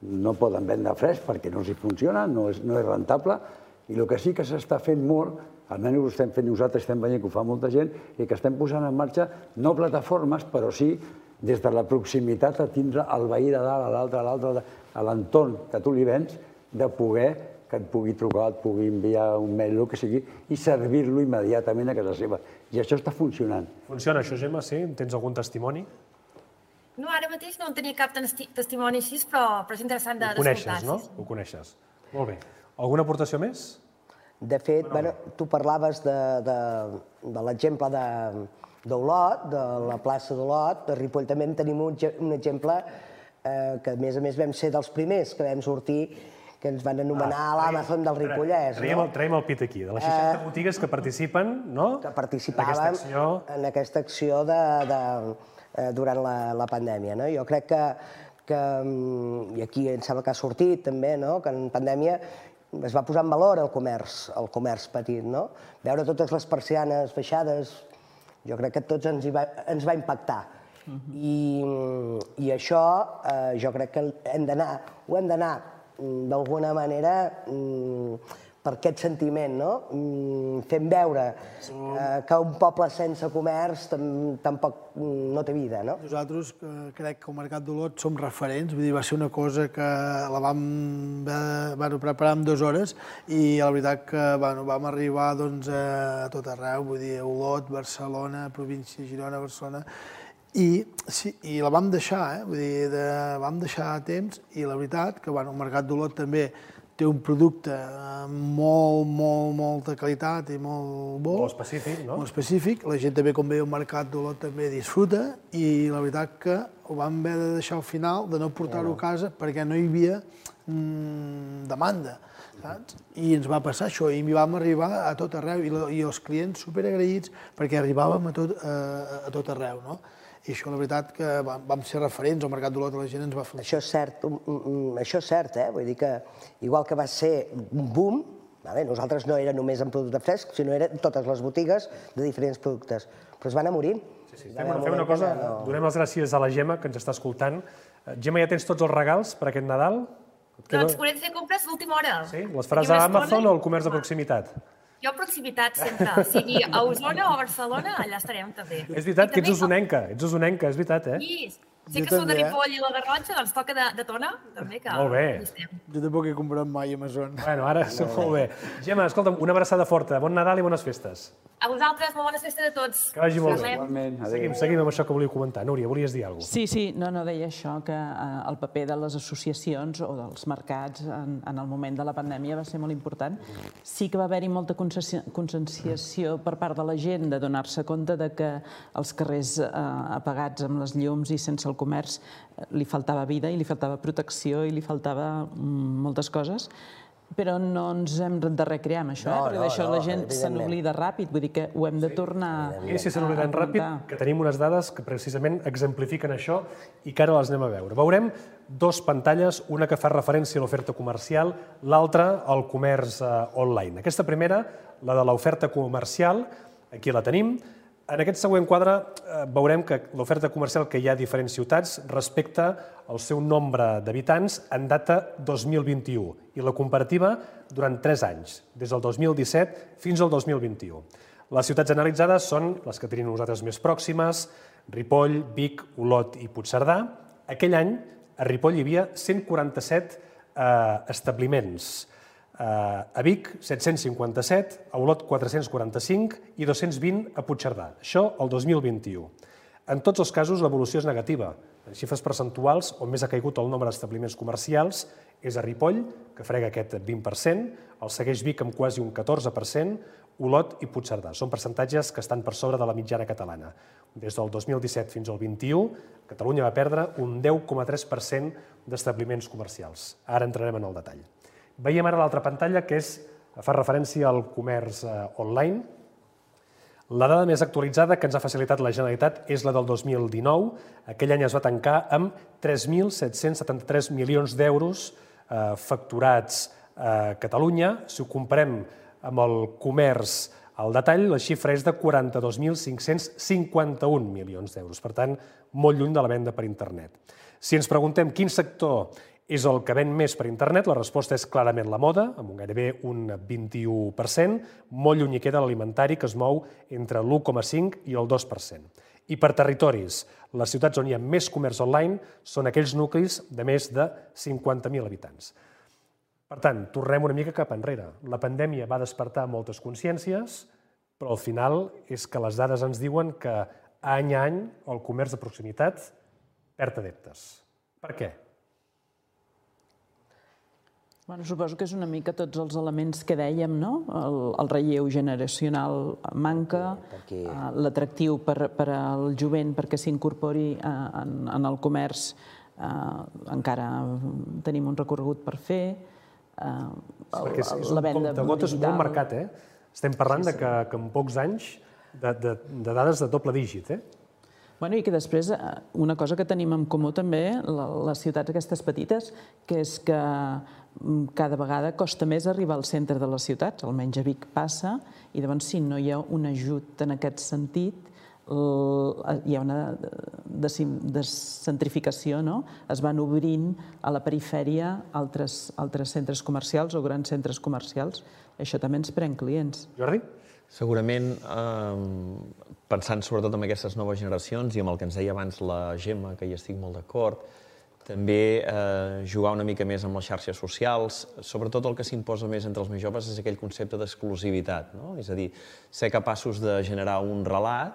no poden vendre fresc perquè no els hi funciona, no és rentable, i el que sí que s'està fent molt, almenys ho estem fent nosaltres, estem veient que ho fa molta gent, i que estem posant en marxa no plataformes, però sí des de la proximitat a tindre el veí de dalt, a l'altre, a l'altre, a l'entorn que tu li vens, de poder que et pugui trucar, et pugui enviar un mail, el que sigui, i servir-lo immediatament a casa seva. I això està funcionant. Funciona això, Gemma, sí? Tens algun testimoni? No, ara mateix no en tenia cap testimoni així, però és interessant d'escoltar. Ho coneixes, no? Ho coneixes. Molt bé. Alguna aportació més? De fet, tu parlaves de l'exemple d'Olot, de la plaça d'Olot. A Ripoll també en tenim un exemple que, a més a més, vam ser dels primers que vam sortir, que ens van anomenar l'Amazon del Ripollès. Traiem el pit aquí, de les seixanta botigues que participen, no? Que participaven en aquesta acció durant la pandèmia. Jo crec que, i aquí em sembla que ha sortit també, que en pandèmia es va posar en valor el comerç, el comerç petit, no? Veure totes les persianes baixades, jo crec que a tots ens va impactar. I això jo crec que hem d'anar, ho hem d'anar d'alguna manera per aquest sentiment, no? Fent veure que un poble sense comerç tampoc no té vida, no? Nosaltres crec que el Mercat d'Olot som referents, vull dir, va ser una cosa que la vam preparar en dues hores i la veritat que vam arribar a tot arreu, vull dir, a Olot, Barcelona, província de Girona, Barcelona, i la vam deixar, vull dir, vam deixar a temps i la veritat que el Mercat d'Olot també té un producte amb molt, molt, molta qualitat i molt bo. Molt específic, no? Molt específic. La gent també, quan ve al Mercat d'Olot, també disfruta i la veritat que ho vam haver de deixar al final, de no portar-ho a casa, perquè no hi havia demanda, saps? I ens va passar això, i vam arribar a tot arreu, i els clients superagraïts perquè arribàvem a tot arreu, no? I això, la veritat, que vam ser referents al Mercat d'Olot, la gent ens va felicitar. Això és cert, això és cert, eh? Vull dir que, igual que va ser un boom, nosaltres no era només en producte fresc, sinó eren totes les botigues de diferents productes, però es van anar morint. Sí, sí, fem una cosa, donem les gràcies a la Gemma, que ens està escoltant. Gemma, ja tens tots els regals per aquest Nadal? Doncs podem fer compres d'última hora. Sí? Les faràs a Amazon o al comerç de proximitat? Jo a proximitat sempre, sigui a Osona o a Barcelona, allà estarem també. És veritat que ets osonenca, ets osonenca, és veritat, eh? Sí, sé que sou de Ripoll i la Garrotxa, doncs toca de Tona, també, que molt bé. hi estem. Jo tampoc he comprat mai a Amazon. Bueno, ara molt bé. Gemma, escolta'm, una abraçada forta, bon Nadal i bones festes. A vosaltres, molt bones festes a tots. Que vagi molt bé. Seguim, seguim amb això que volíeu comentar. Núria, volies dir alguna cosa? Sí, sí, no, no, deia això, que el paper de les associacions o dels mercats en el moment de la pandèmia va ser molt important. Sí que va haver-hi molta conscienciació per part de la gent de donar-se compte que els carrers apagats amb les llums i sense el comerç li faltava vida i li faltava protecció i li faltava moltes coses, però no ens hem de recrear amb això, perquè d'això la gent se n'oblida ràpid, vull dir que ho hem de tornar a I si se n'obliden ràpid, que tenim unes dades que precisament exemplifiquen això i que ara les anem a veure. Veurem dos pantalles, una que fa referència a l'oferta comercial, l'altra al comerç online. Aquesta primera, la de l'oferta comercial, aquí la tenim. En aquest següent quadre veurem que l'oferta comercial que hi ha a diferents ciutats respecte al seu nombre d'habitants en data dos mil vint-i-u i la comparativa durant tres anys, des del dos mil disset fins al dos mil vint-i-u. Les ciutats analitzades són les que tenim nosaltres més pròximes, Ripoll, Vic, Olot i Puigcerdà. Aquell any a Ripoll hi havia cent quaranta-set establiments, a Vic set-cents cinquanta-set, a Olot quatre-cents quaranta-cinc i dos-cents vint a Puigcerdà. Això el dos mil vint-i-u. En tots els casos l'evolució és negativa. En xifres percentuals, on més ha caigut el nombre d'establiments comercials és a Ripoll, que frega aquest vint per cent, el segueix Vic amb quasi un catorze per cent, Olot i Puigcerdà. Són percentatges que estan per sobre de la mitjana catalana. Des del dos mil disset fins al vint-i-u, Catalunya va perdre un deu coma tres per cent d'establiments comercials. Ara entrarem en el detall. Veiem ara l'altra pantalla, que fa referència al comerç online. La dada més actualitzada que ens ha facilitat la Generalitat és la del dos mil dinou. Aquell any es va tancar amb tres mil set-cents setanta-tres milions d'euros facturats a Catalunya. Si ho comparem amb el comerç al detall, la xifra és de quaranta-dos mil cinc-cents cinquanta-un milions d'euros. Per tant, molt lluny de la venda per internet. Si ens preguntem quin sector és el que ven més per internet, la resposta és clarament la moda, amb gairebé un vint-i-u per cent, molt lluny hi queda l'alimentari, que es mou entre l'u coma cinc i el dos per cent. I per territoris, les ciutats on hi ha més comerç online són aquells nuclis de més de cinquanta mil habitants. Per tant, tornem una mica cap enrere. La pandèmia va despertar moltes consciències, però al final és que les dades ens diuen que any a any el comerç de proximitat perd adeptes. Per què? Bueno, suposo que és una mica tots els elements que dèiem, no? El, el relleu generacional manca, perquè... l'atractiu per, per al jovent perquè s'incorpori en, en el comerç, eh, encara tenim un recorregut per fer. Eh, sí, perquè és, és un comptagotes molt marcat, eh? Estem parlant sí, sí. de que, que en pocs anys de, de, de dades de doble dígit, eh? Bueno, i que després, una cosa que tenim en comú també, les ciutats aquestes petites, que és que cada vegada costa més arribar al centre de les ciutats, almenys a Vic passa, i llavors si no hi ha un ajut en aquest sentit, hi ha una descentrificació, no? Es van obrint a la perifèria altres, altres centres comercials o grans centres comercials. Això també ens pren clients. Jordi? Segurament, eh, pensant sobretot en aquestes noves generacions i amb el que ens deia abans la Gemma, que hi estic molt d'acord, també eh, jugar una mica més amb les xarxes socials. Sobretot el que s'imposa més entre els més joves és aquell concepte d'exclusivitat, no? És a dir, ser capaços de generar un relat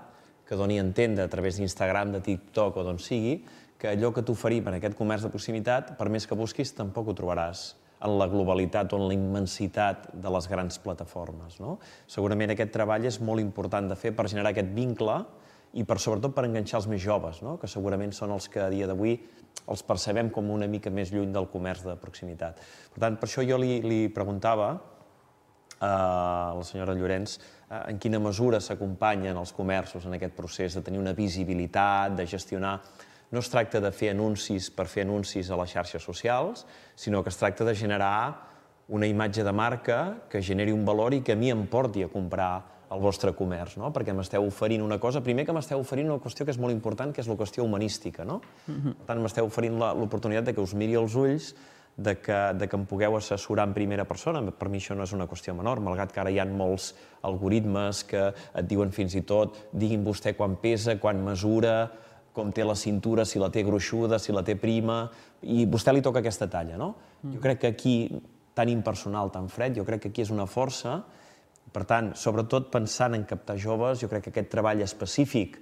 que doni a entendre a través d'Instagram, de TikTok o d'on sigui, que allò que t'oferim en aquest comerç de proximitat, per més que busquis, tampoc ho trobaràs en la globalitat o en la immensitat de les grans plataformes, no? Segurament aquest treball és molt important de fer per generar aquest vincle i per, sobretot per enganxar els més joves, no? Que segurament són els que a dia d'avui els percebem com una mica més lluny del comerç de proximitat. Per tant, per això jo li, li preguntava a la senyora Llorenç en quina mesura s'acompanyen els comerços en aquest procés de tenir una visibilitat, de gestionar. No es tracta de fer anuncis per fer anuncis a les xarxes socials, sinó que es tracta de generar una imatge de marca que generi un valor i que a mi em porti a comprar el vostre comerç, no? Perquè m'esteu oferint una cosa, primer que m'esteu oferint una qüestió que és molt important, que és la qüestió humanística, no? Per tant, m'esteu oferint l'oportunitat de que us miri als ulls, de que, de que em pugueu assessorar en primera persona. Per mi això no és una qüestió menor, malgrat que ara hi ha molts algoritmes que et diuen fins i tot, digui'm vostè quan pesa, quan mesura, com té la cintura, si la té gruixuda, si la té prima, i vostè li toca aquesta talla, no? Jo crec que aquí, tan impersonal, tan fred, jo crec que aquí és una força. Per tant, sobretot pensant en captar joves, jo crec que aquest treball específic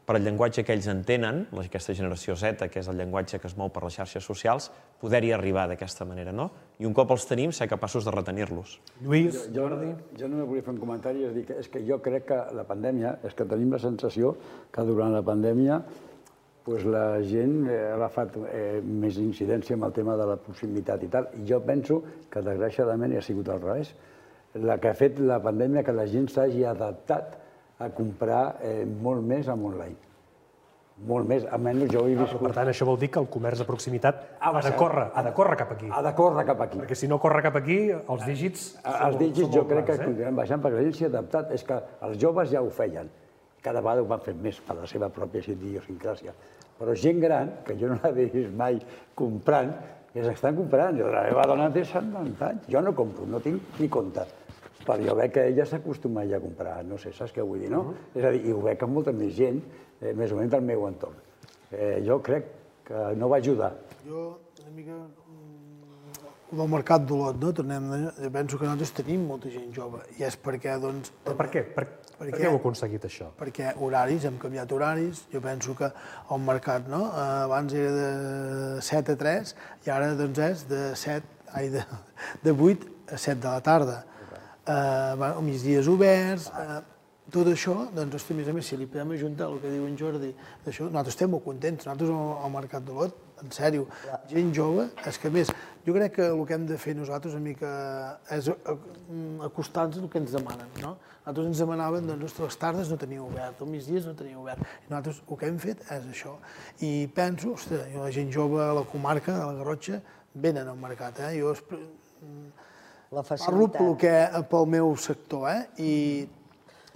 per al llenguatge que ells entenen, aquesta generació Z, que és el llenguatge que es mou per les xarxes socials, poder-hi arribar d'aquesta manera, no? I un cop els tenim, ser capaços de retenir-los. Lluís? Jordi? Jo només volia fer un comentari, és dir, és que jo crec que la pandèmia, és que tenim la sensació que durant la pandèmia pues la gent ha agafat eh, més incidència amb el tema de la proximitat i tal. I jo penso que, desgraciadament, ha sigut al revés. La que ha fet la pandèmia que la gent s'hagi adaptat a comprar eh, molt més amb online. Molt més, almenys jo ho he viscut. Per tant, això vol dir que el comerç de proximitat ha de córrer, ha de córrer cap aquí. Ha de córrer cap aquí. Perquè si no corre cap aquí, els dígits... Els dígits jo crec que continuem baixant perquè la gent s'hi ha adaptat. És que els joves ja ho feien. Cada vegada ho van fer més per la seva pròpia idiosincràsia. Però gent gran, que jo no l'he vist mai comprant, que s'estan comprant. La meva dona té setanta anys. Jo no compro, no tinc ni compte. Però jo veig que ella s'acostuma ja a comprar, no sé, saps què vull dir, no? És a dir, i ho veig amb molta més gent, més o menys del meu entorn. Jo crec que no va ajudar. Jo, una mica, com el mercat d'Olot, no? Tornem, jo penso que nosaltres tenim molta gent jove, i és perquè, doncs... Per què? Per què heu aconseguit això? Perquè horaris, hem canviat horaris, jo penso que el mercat, no? Abans era de set a tres, i ara, doncs, és de set, ai, de vuit a set de la tarda. Al migdies oberts, tot això, doncs, a més a més, si li podem ajuntar el que diu en Jordi, nosaltres estem molt contents, nosaltres al Mercat d'Olot, en sèrio, gent jove, és que a més, jo crec que el que hem de fer nosaltres una mica és acostar-nos al que ens demanen, no? Nosaltres ens demanaven, doncs, les tardes no tenia obert, els migdies no tenia obert, i nosaltres el que hem fet és això. I penso, ostres, la gent jove a la comarca, a la Garrotxa, venen al mercat, eh? Jo parlo pel meu sector, eh? I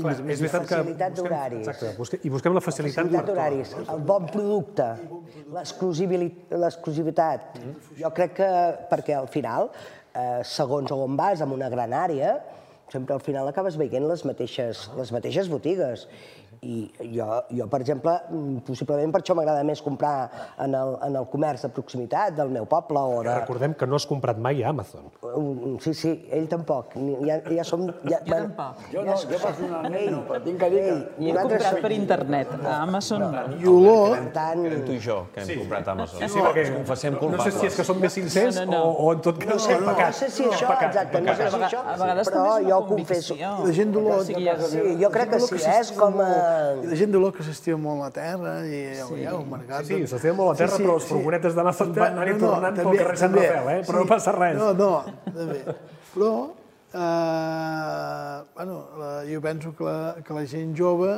és veritat que... Facilitat d'horaris. Exacte, i busquem la facilitat... Facilitat d'horaris, el bon producte, l'exclusivitat. Jo crec que, perquè al final, segons on vas, en una gran àrea, sempre al final acabes veient les mateixes botigues. I jo, per exemple, possiblement per això m'agrada més comprar en el comerç de proximitat del meu poble o de... Recordem que no has comprat mai a Amazon. Sí, sí, ell tampoc. Ja som... Jo tampoc. Jo no, jo personalment no, però tinc que dir que... I he comprat per internet, a Amazon no. I olor... Eren tu i jo, que hem comprat a Amazon. Sí, perquè no sé si és que som més sincers o en tot cas hem pecat. No sé si això, exacte, no sé si això, però jo ho confesso. La gent d'olor... Jo crec que sí, és com... I la gent d'olor que s'estima molt la terra i ja ho marcat. Sí, s'estima molt la terra, però les furgonetes d'Amazon van anar-hi tornant pel carrer Sant Rafael, eh? Però no passa res. No, no, també. Però, bueno, jo penso que la gent jove,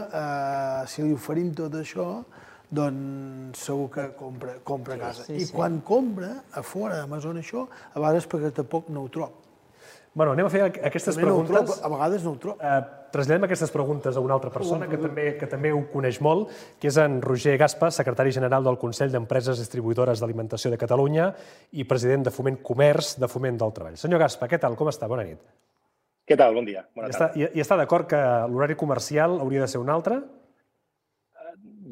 si li oferim tot això, doncs segur que compra a casa. I quan compra, a fora d'Amazon això, a vegades perquè tampoc no ho trob. Bueno, anem a fer aquestes preguntes. A vegades no ho trob. Traslladem aquestes preguntes a una altra persona que també ho coneix molt, que és en Roger Gaspa, secretari general del Consell d'Empreses Distribuïdores d'Alimentació de Catalunya i president de Foment Comerç de Foment del Treball. Senyor Gaspa, què tal? Com està? Bona nit. Què tal? Bon dia. Bona tarda. I està d'acord que l'horari comercial hauria de ser un altre?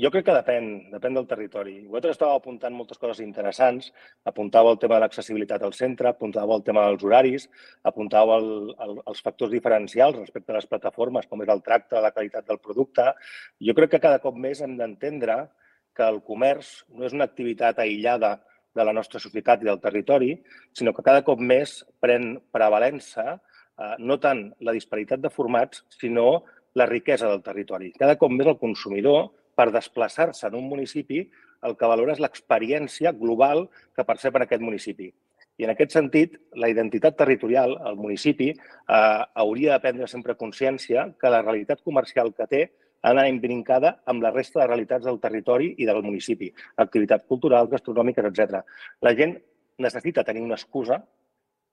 Jo crec que depèn, depèn del territori. Vosaltres estàveu apuntant moltes coses interessants, apuntàveu el tema de l'accessibilitat al centre, apuntàveu el tema dels horaris, apuntàveu els factors diferencials respecte a les plataformes, com és el tracte, la qualitat del producte. Jo crec que cada cop més hem d'entendre que el comerç no és una activitat aïllada de la nostra societat i del territori, sinó que cada cop més pren prevalença no tant la disparitat de formats, sinó la riquesa del territori. Cada cop més el consumidor, per desplaçar-se en un municipi, el que valora és l'experiència global que percep en aquest municipi. I en aquest sentit, la identitat territorial, el municipi, hauria de prendre sempre consciència que la realitat comercial que té ha d'anar imbrincada amb la resta de realitats del territori i del municipi, activitats culturals, gastronòmiques, etcètera. La gent necessita tenir una excusa,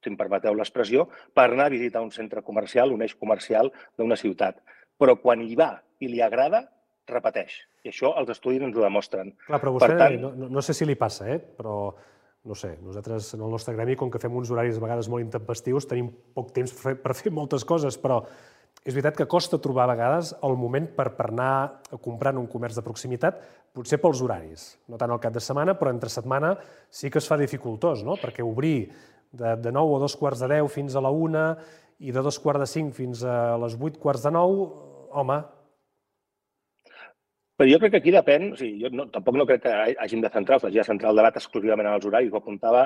si em permeteu l'expressió, per anar a visitar un centre comercial, un eix comercial d'una ciutat. Però quan hi va i li agrada, repeteix. I això els estudis ens ho demostren. Clar, però vostè, no sé si li passa, eh? però no sé, nosaltres en el nostre gremi, com que fem uns horaris a vegades molt intempestius, tenim poc temps per fer moltes coses, però és veritat que costa trobar a vegades el moment per anar a comprar en un comerç de proximitat, potser pels horaris, no tant al cap de setmana, però entre setmana sí que es fa dificultós, no? Perquè obrir de nou o dos quarts de deu fins a la una i de dos quarts de cinc fins a les vuit quarts de nou, home... Però jo crec que aquí depèn, o sigui, jo tampoc no crec que hàgim de centrar, de centrar el debat exclusivament en els horaris, ho apuntava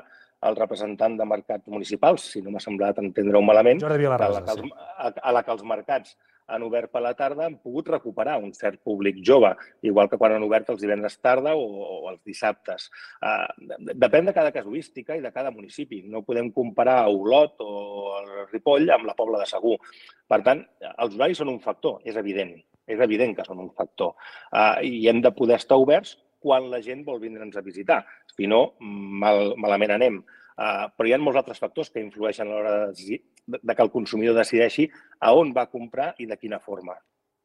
el representant de mercats municipals, si no m'ha semblat entendre-ho malament, Jordi Vilarrasa, sí. A la que els mercats han obert per la tarda han pogut recuperar un cert públic jove, igual que quan han obert els divendres tarda o els dissabtes. Depèn de cada casuística i de cada municipi. No podem comparar Olot o el Ripoll amb la Pobla de Segur. Per tant, els horaris són un factor, és evident. És evident que són un factor. I hem de poder estar oberts quan la gent vol vindre'ns a visitar. Si no, malament anem. Però hi ha molts altres factors que influeixen a l'hora de que el consumidor decideixi a on va comprar i de quina forma.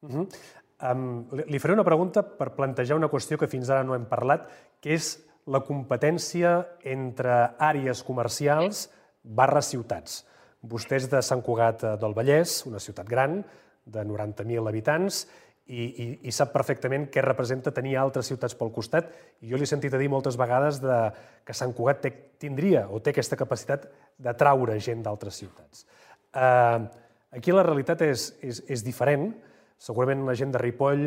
Li faré una pregunta per plantejar una qüestió que fins ara no hem parlat, que és la competència entre àrees comercials barra ciutats. Vostè és de Sant Cugat del Vallès, una ciutat gran, de noranta mil habitants, i sap perfectament què representa tenir altres ciutats pel costat. I jo li he sentit a dir moltes vegades que Sant Cugat tindria o té aquesta capacitat d'atraure gent d'altres ciutats. Aquí la realitat és diferent. Segurament la gent de Ripoll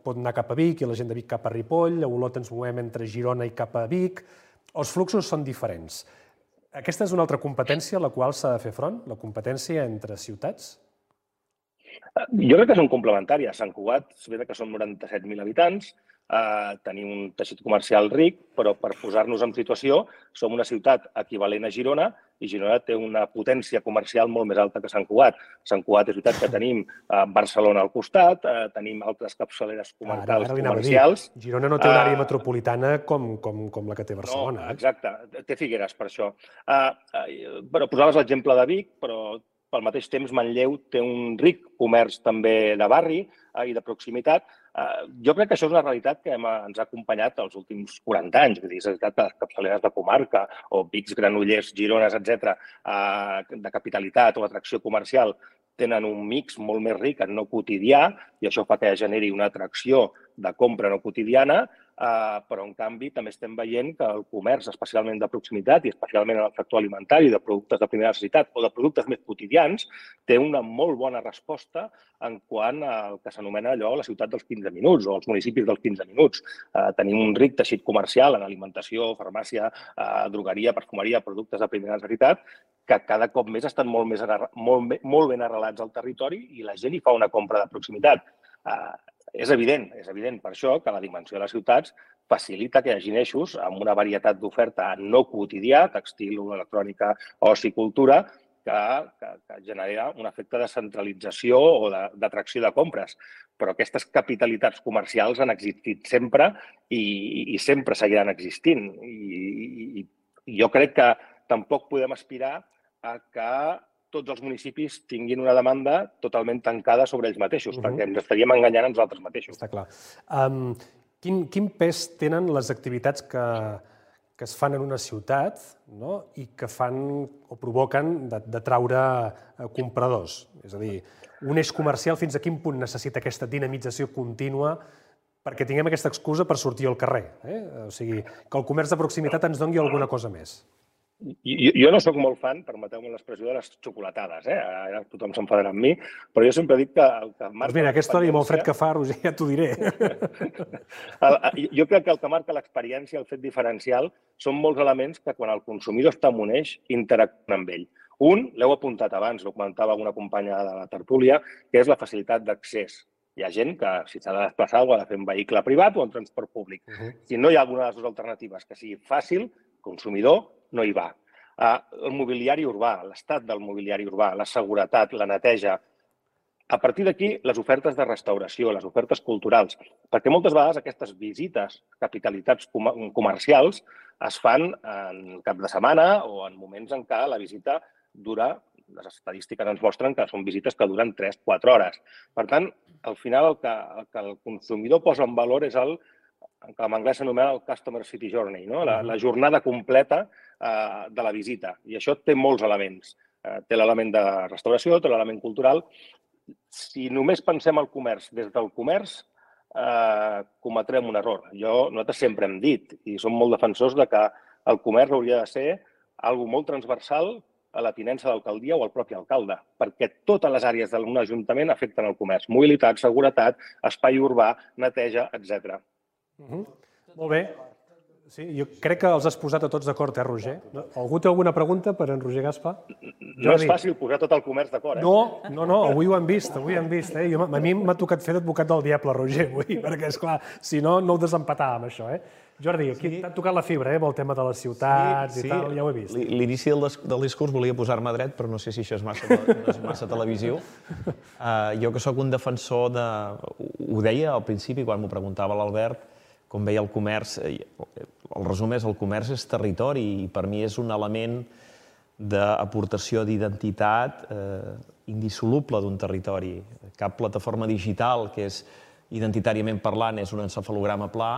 pot anar cap a Vic i la gent de Vic cap a Ripoll, a Olot ens movem entre Girona i cap a Vic. Els fluxos són diferents. Aquesta és una altra competència a la qual s'ha de fer front, la competència entre ciutats? Jo crec que són complementàries. Sant Cugat, és veritat que són noranta-set mil habitants, tenim un teixit comercial ric, però per posar-nos en situació, som una ciutat equivalent a Girona i Girona té una potència comercial molt més alta que Sant Cugat. Sant Cugat és veritat que tenim Barcelona al costat, tenim altres capçaleres comarcals comercials. Girona no té una àrea metropolitana com la que té Barcelona. No, exacte, té Figueres per això. Però posaves l'exemple de Vic, però al mateix temps Manlleu té un ric comerç també de barri i de proximitat. Jo crec que això és una realitat que ens ha acompanyat els últims quaranta anys. Vull dir, és veritat que les capçaleres de comarca o Vics, Granollers, Girones, etcètera, de capitalitat o atracció comercial tenen un mix molt més ric en no quotidià i això fa que generi una atracció de compra no quotidiana, però en canvi també estem veient que el comerç, especialment de proximitat i especialment en el sector alimentari, de productes de primera necessitat o de productes més quotidians, té una molt bona resposta en quant al que s'anomena allò la ciutat dels quinze minuts o els municipis dels quinze minuts. Tenim un ric teixit comercial en alimentació, farmàcia, drogueria, perfumeria, productes de primera necessitat, que cada cop més estan molt, més, molt, molt ben arrelats al territori i la gent hi fa una compra de proximitat. Uh, és evident, és evident per això que la dimensió de les ciutats facilita que hi hagi eixos amb una varietat d'oferta no quotidià, textil, electrònica, oci, cultura, que, que, que genera un efecte de centralització o d'atracció de, de compres. Però aquestes capitalitats comercials han existit sempre i, i sempre seguiran existint. I, i, i jo crec que tampoc podem aspirar a que tots els municipis tinguin una demanda totalment tancada sobre ells mateixos, uh-huh. perquè ens estaríem enganyant a nosaltres mateixos. Està clar. Um, quin, quin pes tenen les activitats que, que es fan en una ciutat, no? I que fan o provoquen d'atraure compradors? És a dir, un eix comercial fins a quin punt necessita aquesta dinamització contínua perquè tinguem aquesta excusa per sortir al carrer? Eh? O sigui, que el comerç de proximitat ens doni alguna cosa més. Jo, jo no sóc molt fan, permeteu-me l'expressió, de les xocolatades. Eh? Ara tothom s'enfadarà amb mi, però jo sempre dic que el que marca... Doncs mira, aquesta hora i molt fred que fa, Roger, ja t'ho diré. Jo crec que el que marca l'experiència, el fet diferencial, són molts elements que quan el consumidor està en un eix, interactuen amb ell. Un, l'heu apuntat abans, ho comentava una companya de la tertúlia, que és la facilitat d'accés. Hi ha gent que, si s'ha de desplaçar, ho ha de fer en vehicle privat o en transport públic. Uh-huh. Si no hi ha alguna de les dues alternatives que sigui fàcil, consumidor no hi va. El mobiliari urbà, l'estat del mobiliari urbà, la seguretat, la neteja. A partir d'aquí, les ofertes de restauració, les ofertes culturals, perquè moltes vegades aquestes visites a capitalitats comercials es fan en cap de setmana o en moments en què la visita dura, les estadístiques ens mostren que són visites que duren tres a quatre hores. Per tant, al final el que el, que el consumidor posa en valor és el que en anglès s'anomena el Customer City Journey, no? la, la jornada completa eh, de la visita. I això té molts elements. Eh, té l'element de restauració, té l'element cultural. Si només pensem al comerç des del comerç, eh, cometrem un error. Jo, nosaltres sempre hem dit, i som molt defensors de que el comerç hauria de ser algo molt transversal a la tinença d'alcaldia o al propi alcalde, perquè totes les àrees d'un ajuntament afecten el comerç. Mobilitat, seguretat, espai urbà, neteja, etcètera. Uh-huh. Molt bé. Sí, jo crec que els has posat a tots d'acord, eh, Roger? Algú té alguna pregunta per en Roger Gaspar? No és fàcil posar tot el comerç d'acord, eh? No, no, no, avui ho hem vist, avui ho hem vist. Eh? Jo, a mi m'ha tocat fer d'advocat del diable, Roger, avui, perquè, esclar, si no, no ho desempatàvem, això, eh? Jordi, aquí sí. T'ha tocat la fibra, eh, amb el tema de les ciutats sí, i sí. tal, ja ho he vist. L'inici del, del discurs volia posar-me dret, però no sé si això és massa, no és massa televisiu. Uh, jo que sóc un defensor de... Ho deia al principi, quan m'ho preguntava l'Albert, com veia el comerç, el resum és el comerç és territori i per mi és un element d'aportació d'identitat eh, indissoluble d'un territori. Cap plataforma digital que és identitàriament parlant és un encefalograma pla,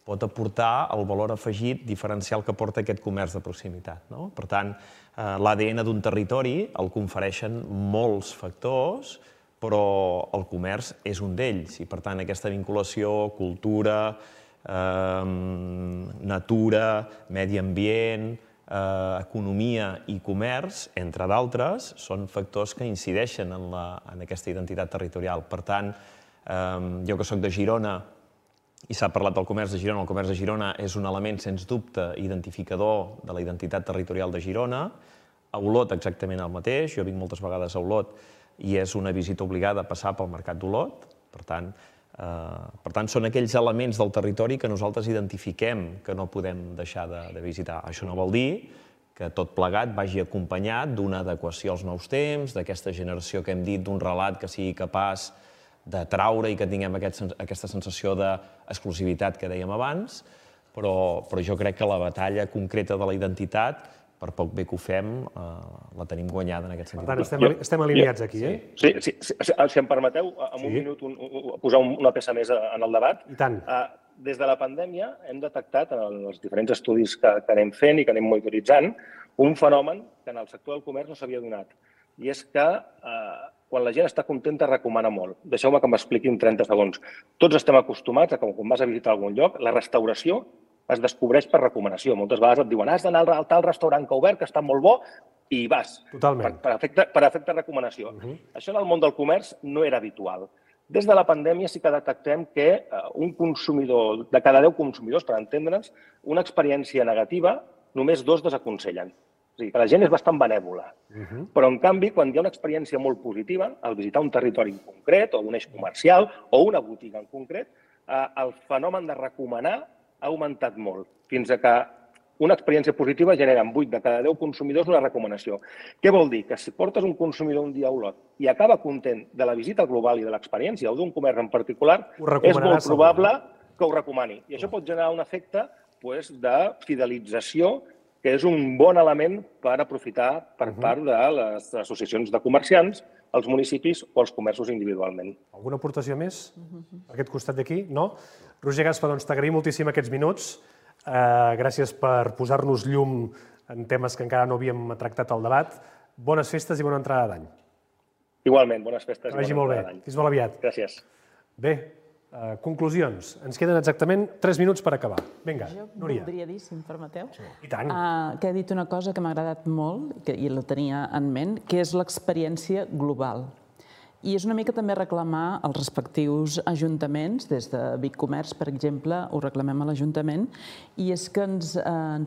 pot aportar el valor afegit diferencial que porta aquest comerç de proximitat. No? Per tant, eh, l'A D N d'un territori el confereixen molts factors, però el comerç és un d'ells i, per tant, aquesta vinculació, cultura, eh, natura, medi ambient, eh, economia i comerç, entre d'altres, són factors que incideixen en, la, en aquesta identitat territorial. Per tant, eh, jo que soc de Girona, i s'ha parlat del comerç de Girona, el comerç de Girona és un element, sens dubte, identificador de la identitat territorial de Girona. A Olot exactament el mateix, jo vinc moltes vegades a Olot i és una visita obligada a passar pel mercat d'Olot. Per tant, eh, per tant, són aquells elements del territori que nosaltres identifiquem que no podem deixar de, de visitar. Això no vol dir que tot plegat vagi acompanyat d'una adequació als nous temps, d'aquesta generació que hem dit, d'un relat que sigui capaç de traure i que tinguem aquest, aquesta sensació d'exclusivitat que dèiem abans, però, però jo crec que la batalla concreta de la identitat, per poc bé que ho fem, eh, la tenim guanyada en aquest sentit. Per tant, estem, estem alineats aquí, eh? Sí, sí, sí, sí, si em permeteu, en un sí. minut un, un, posar una peça més en el debat. I tant. Uh, des de la pandèmia hem detectat, en els diferents estudis que, que anem fent i que anem monitoritzant, un fenomen que en el sector del comerç no s'havia donat. I és que uh, quan la gent està contenta recomana molt. Deixeu-me que m'expliqui en trenta segons. Tots estem acostumats a que quan vas a visitar algun lloc, la restauració es descobreix per recomanació. Moltes vegades et diuen has d'anar al tal restaurant que ha obert, que està molt bo, i hi vas. Totalment. Per, per, efecte, per efecte recomanació. Uh-huh. Això en el món del comerç no era habitual. Des de la pandèmia sí que detectem que un consumidor, de cada deu consumidors, per entendre'ns, una experiència negativa, només dos desaconsellen. És a dir, que la gent és bastant benèvola. Uh-huh. Però, en canvi, quan hi ha una experiència molt positiva, al visitar un territori en concret, o un eix comercial, o una botiga en concret, eh, el fenomen de recomanar ha augmentat molt, fins a que una experiència positiva genera en vuit de cada deu consumidors una recomanació. Què vol dir? Que si portes un consumidor un dia a Olot i acaba content de la visita global i de l'experiència o d'un comerç en particular, és molt probable que ho recomani. I això pot generar un efecte de fidelització, que és un bon element per aprofitar per part de les associacions de comerciants, els municipis o els comerços individualment. Alguna aportació més a aquest costat d'aquí? No? Roger Gaspa, doncs t'agraïm moltíssim aquests minuts. Gràcies per posar-nos llum en temes que encara no havíem tractat al debat. Bones festes i bona entrada d'any. Igualment, bones festes i bona entrada d'any. Fins molt aviat. Gràcies. Bé, conclusions. Ens queden exactament tres minuts per acabar. Vinga, Núria. Jo voldria dir, si em permeteu, I tant. que ha dit una cosa que m'ha agradat molt, i la tenia en ment, que és l'experiència global. I és una mica també reclamar als respectius ajuntaments, des de Vic Comerç, per exemple, ho reclamem a l'Ajuntament, i és que ens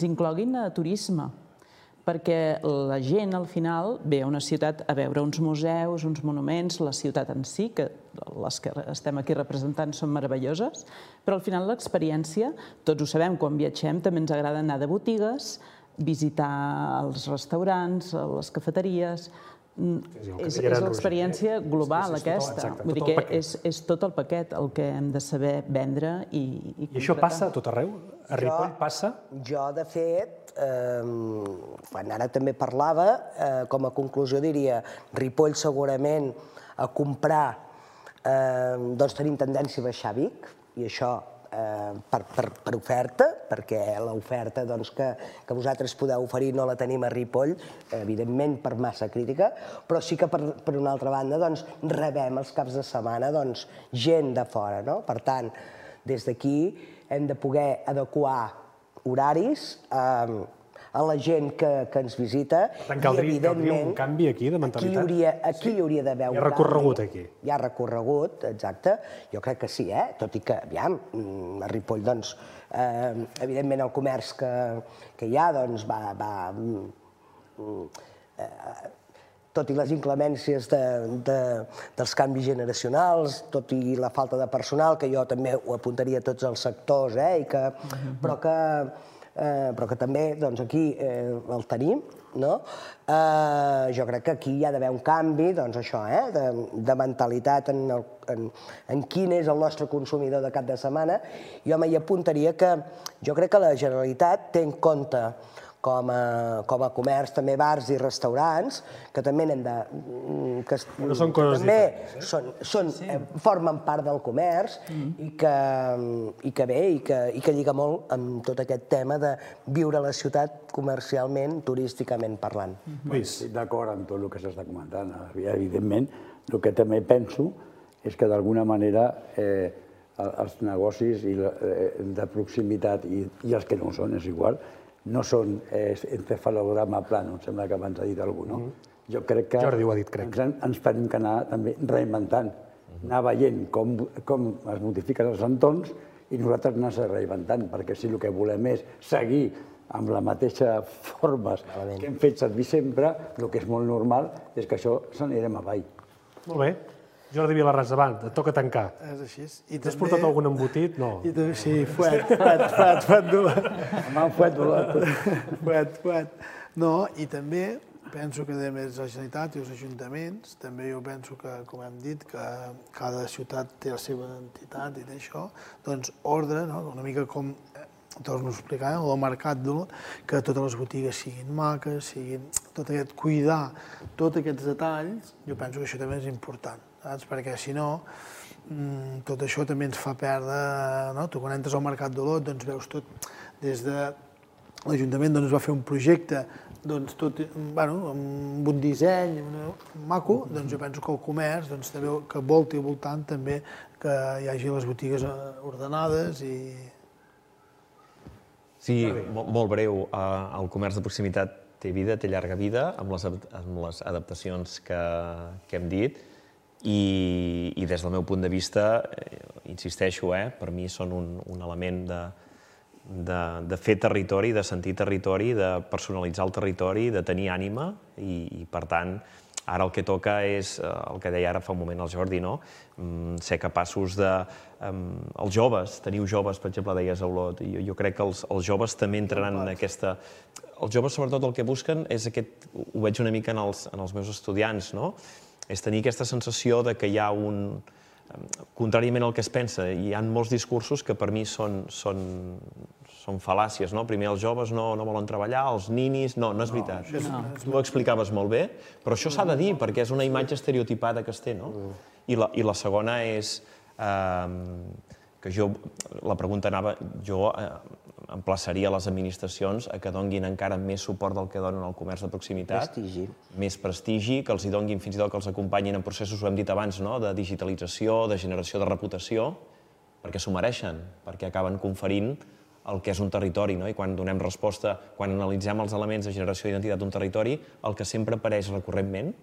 incloguin a turisme, perquè la gent, al final, ve a una ciutat a veure uns museus, uns monuments, la ciutat en si, que les que estem aquí representant són meravelloses, però al final l'experiència, tots ho sabem, quan viatgem també ens agrada anar de botigues, visitar els restaurants, les cafeteries. És l'experiència global, aquesta. Vull dir que és tot el paquet el que hem de saber vendre i concretar. I això passa a tot arreu? A Ripoll passa? Jo, de fet, quan ara també parlava, com a conclusió diria Ripoll segurament a comprar, doncs tenim tendència a baixar a Vic, i això per oferta, perquè l'oferta que vosaltres podeu oferir no la tenim a Ripoll, evidentment per massa crítica, però sí que per una altra banda rebem els caps de setmana gent de fora. Per tant, des d'aquí hem de poder adequar horaris a la gent que ens visita. Per tant, caldria un canvi aquí de mentalitat? Aquí hi hauria d'haver un canvi. Hi ha recorregut aquí? Hi ha recorregut, exacte. Jo crec que sí, eh? Tot i que, aviam, a Ripoll, doncs, evidentment el comerç que hi ha, doncs, va... Tot i les inclemències dels canvis generacionals, tot i la falta de personal, que jo també ho apuntaria a tots els sectors, però que però que també aquí el tenim, jo crec que aquí hi ha d'haver un canvi de mentalitat en quin és el nostre consumidor de cap de setmana. Jo m'hi apuntaria que jo crec que la Generalitat té en compte com a comerç, també bars i restaurants, que també n'hem de... No són coses diferents. Formen part del comerç i que bé, i que lliga molt amb tot aquest tema de viure a la ciutat comercialment, turísticament parlant. Estic d'acord amb tot el que s'està comentant. Evidentment, el que també penso és que d'alguna manera els negocis de proximitat i els que no ho són, és igual, no són encefalograma plano, em sembla que abans ha dit algú, no? Jo crec que ens tenim que anar també reinventant, anar veient com es modifiquen els entorns i nosaltres anar-se reinventant, perquè si el que volem és seguir amb la mateixa formes que hem fet servir sempre, el que és molt normal és que això s'anirem avall. Molt bé. Jordi Vilarràs, davant, et toca tancar. És així. T'has portat algun embotit? No. Sí, fuet, fuet, fuet, fuet dur. Home, fuet dur. Fuet, fuet. No, i també penso que a més la Generalitat i els ajuntaments, també jo penso que, com hem dit, que cada ciutat té la seva identitat i d'això, doncs ordre, una mica com torno a explicar, el mercat d'Olot, que totes les botigues siguin maques, siguin tot aquest, cuidar tots aquests detalls, jo penso que això també és important. Perquè si no, tot això també ens fa perdre... Tu quan entres al mercat d'Olot veus tot des de... L'Ajuntament va fer un projecte doncs, tot, bueno, amb un disseny maco, doncs jo penso que el comerç, doncs, també, que volti al voltant també que hi hagi les botigues ordenades i... Sí, molt breu. El comerç de proximitat té vida, té llarga vida, amb les, amb les adaptacions que, que hem dit, i, i des del meu punt de vista, eh, insisteixo, eh, per mi són un, un element de, de, de fer territori, de sentir territori, de personalitzar el territori, de tenir ànima, i, i per tant, ara el que toca és, el que deia ara fa un moment el Jordi, no? Ser capaços de... Els joves, teniu joves, per exemple, deies, Olot, jo, jo crec que els, els joves també entraran en aquesta... Els joves, sobretot, el que busquen és aquest... Ho veig una mica en els, en els meus estudiants, no? És tenir aquesta sensació de que hi ha un... Contràriament al que es pensa, hi ha molts discursos que per mi són, són, són fal·làcies, no? Primer els joves no, no volen treballar, els ninis... No, no és veritat. No, tu ho explicaves molt bé, però això s'ha de dir, perquè és una imatge estereotipada que es té, no? I la, i la segona és... Eh, que jo... La pregunta anava... Jo eh, emplaçaria les administracions a que donguin encara més suport del que donen al comerç de proximitat. Prestigi. Més prestigi, que els hi donguin fins i tot que els acompanyin en processos, ho hem dit abans, no? De digitalització, de generació de reputació, perquè s'ho mereixen, perquè acaben conferint el que és un territori, no? I quan donem resposta, quan analitzem els elements de generació d'identitat d'un territori, el que sempre apareix recurrentment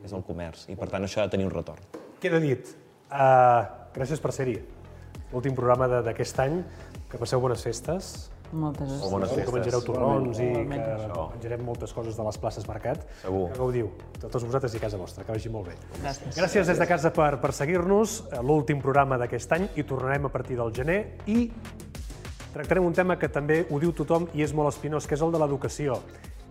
és el comerç, i per tant això ha de tenir un retorn. Queda dit. Uh, gràcies per ser-hi. L'últim programa d'aquest any. Que passeu bones festes. Moltes gràcies. Bones festes. Que menjareu torrons i que menjarem moltes coses de les places Mercat. Segur. Que gaudiu, tots vosaltres i a casa vostra, que vagi molt bé. Gràcies. Gràcies des de casa per, per seguir-nos. L'últim programa d'aquest any i tornarem a partir del gener i tractarem un tema que també ho diu tothom i és molt espinós, que és el de l'educació.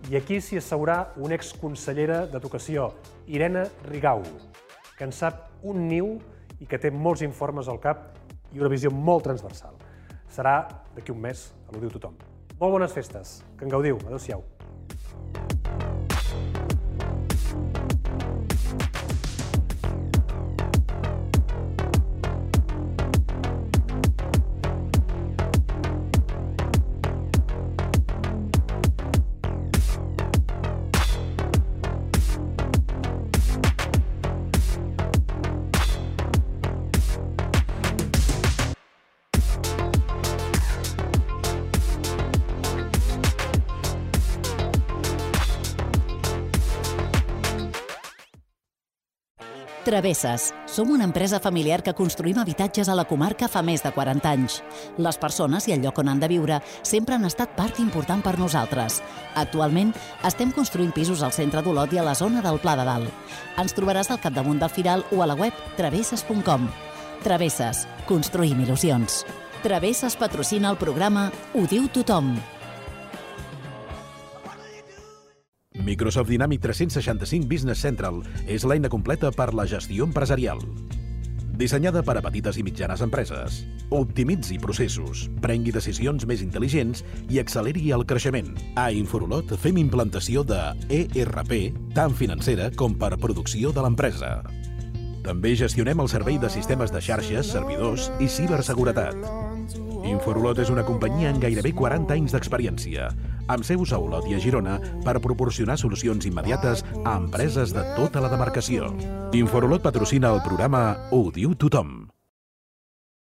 I aquí s'hi asseurà una exconsellera d'Educació, Irene Rigau, que en sap un niu i que té molts informes al cap i una visió molt transversal. Serà d'aquí un mes, a l'Ho diu tothom. Molt bones festes, que en gaudiu. Adéu-siau. Travesses. Som una empresa familiar que construïm habitatges a la comarca fa més de quaranta anys. Les persones i el lloc on han de viure sempre han estat part important per nosaltres. Actualment, estem construint pisos al centre d'Olot i a la zona del Pla de Dalt. Ens trobaràs al capdamunt del Firal o a la web travesses punt com. Travesses. Construïm il·lusions. Travesses patrocina el programa Ho diu tothom. Microsoft Dynamics tres-cents seixanta-cinc Business Central és l'eina completa per la gestió empresarial. Dissenyada per a petites i mitjanes empreses. Optimitzi processos, prengui decisions més intel·ligents i acceleri el creixement. A Inforolot fem implantació de E R P, tant financera com per producció de l'empresa. També gestionem el servei de sistemes de xarxes, servidors i ciberseguretat. Inforolot és una companyia amb gairebé quaranta anys d'experiència, amb seus a Olot i a Girona per proporcionar solucions immediates a empreses de tota la demarcació. Inforolot patrocina el programa Ho diu tothom.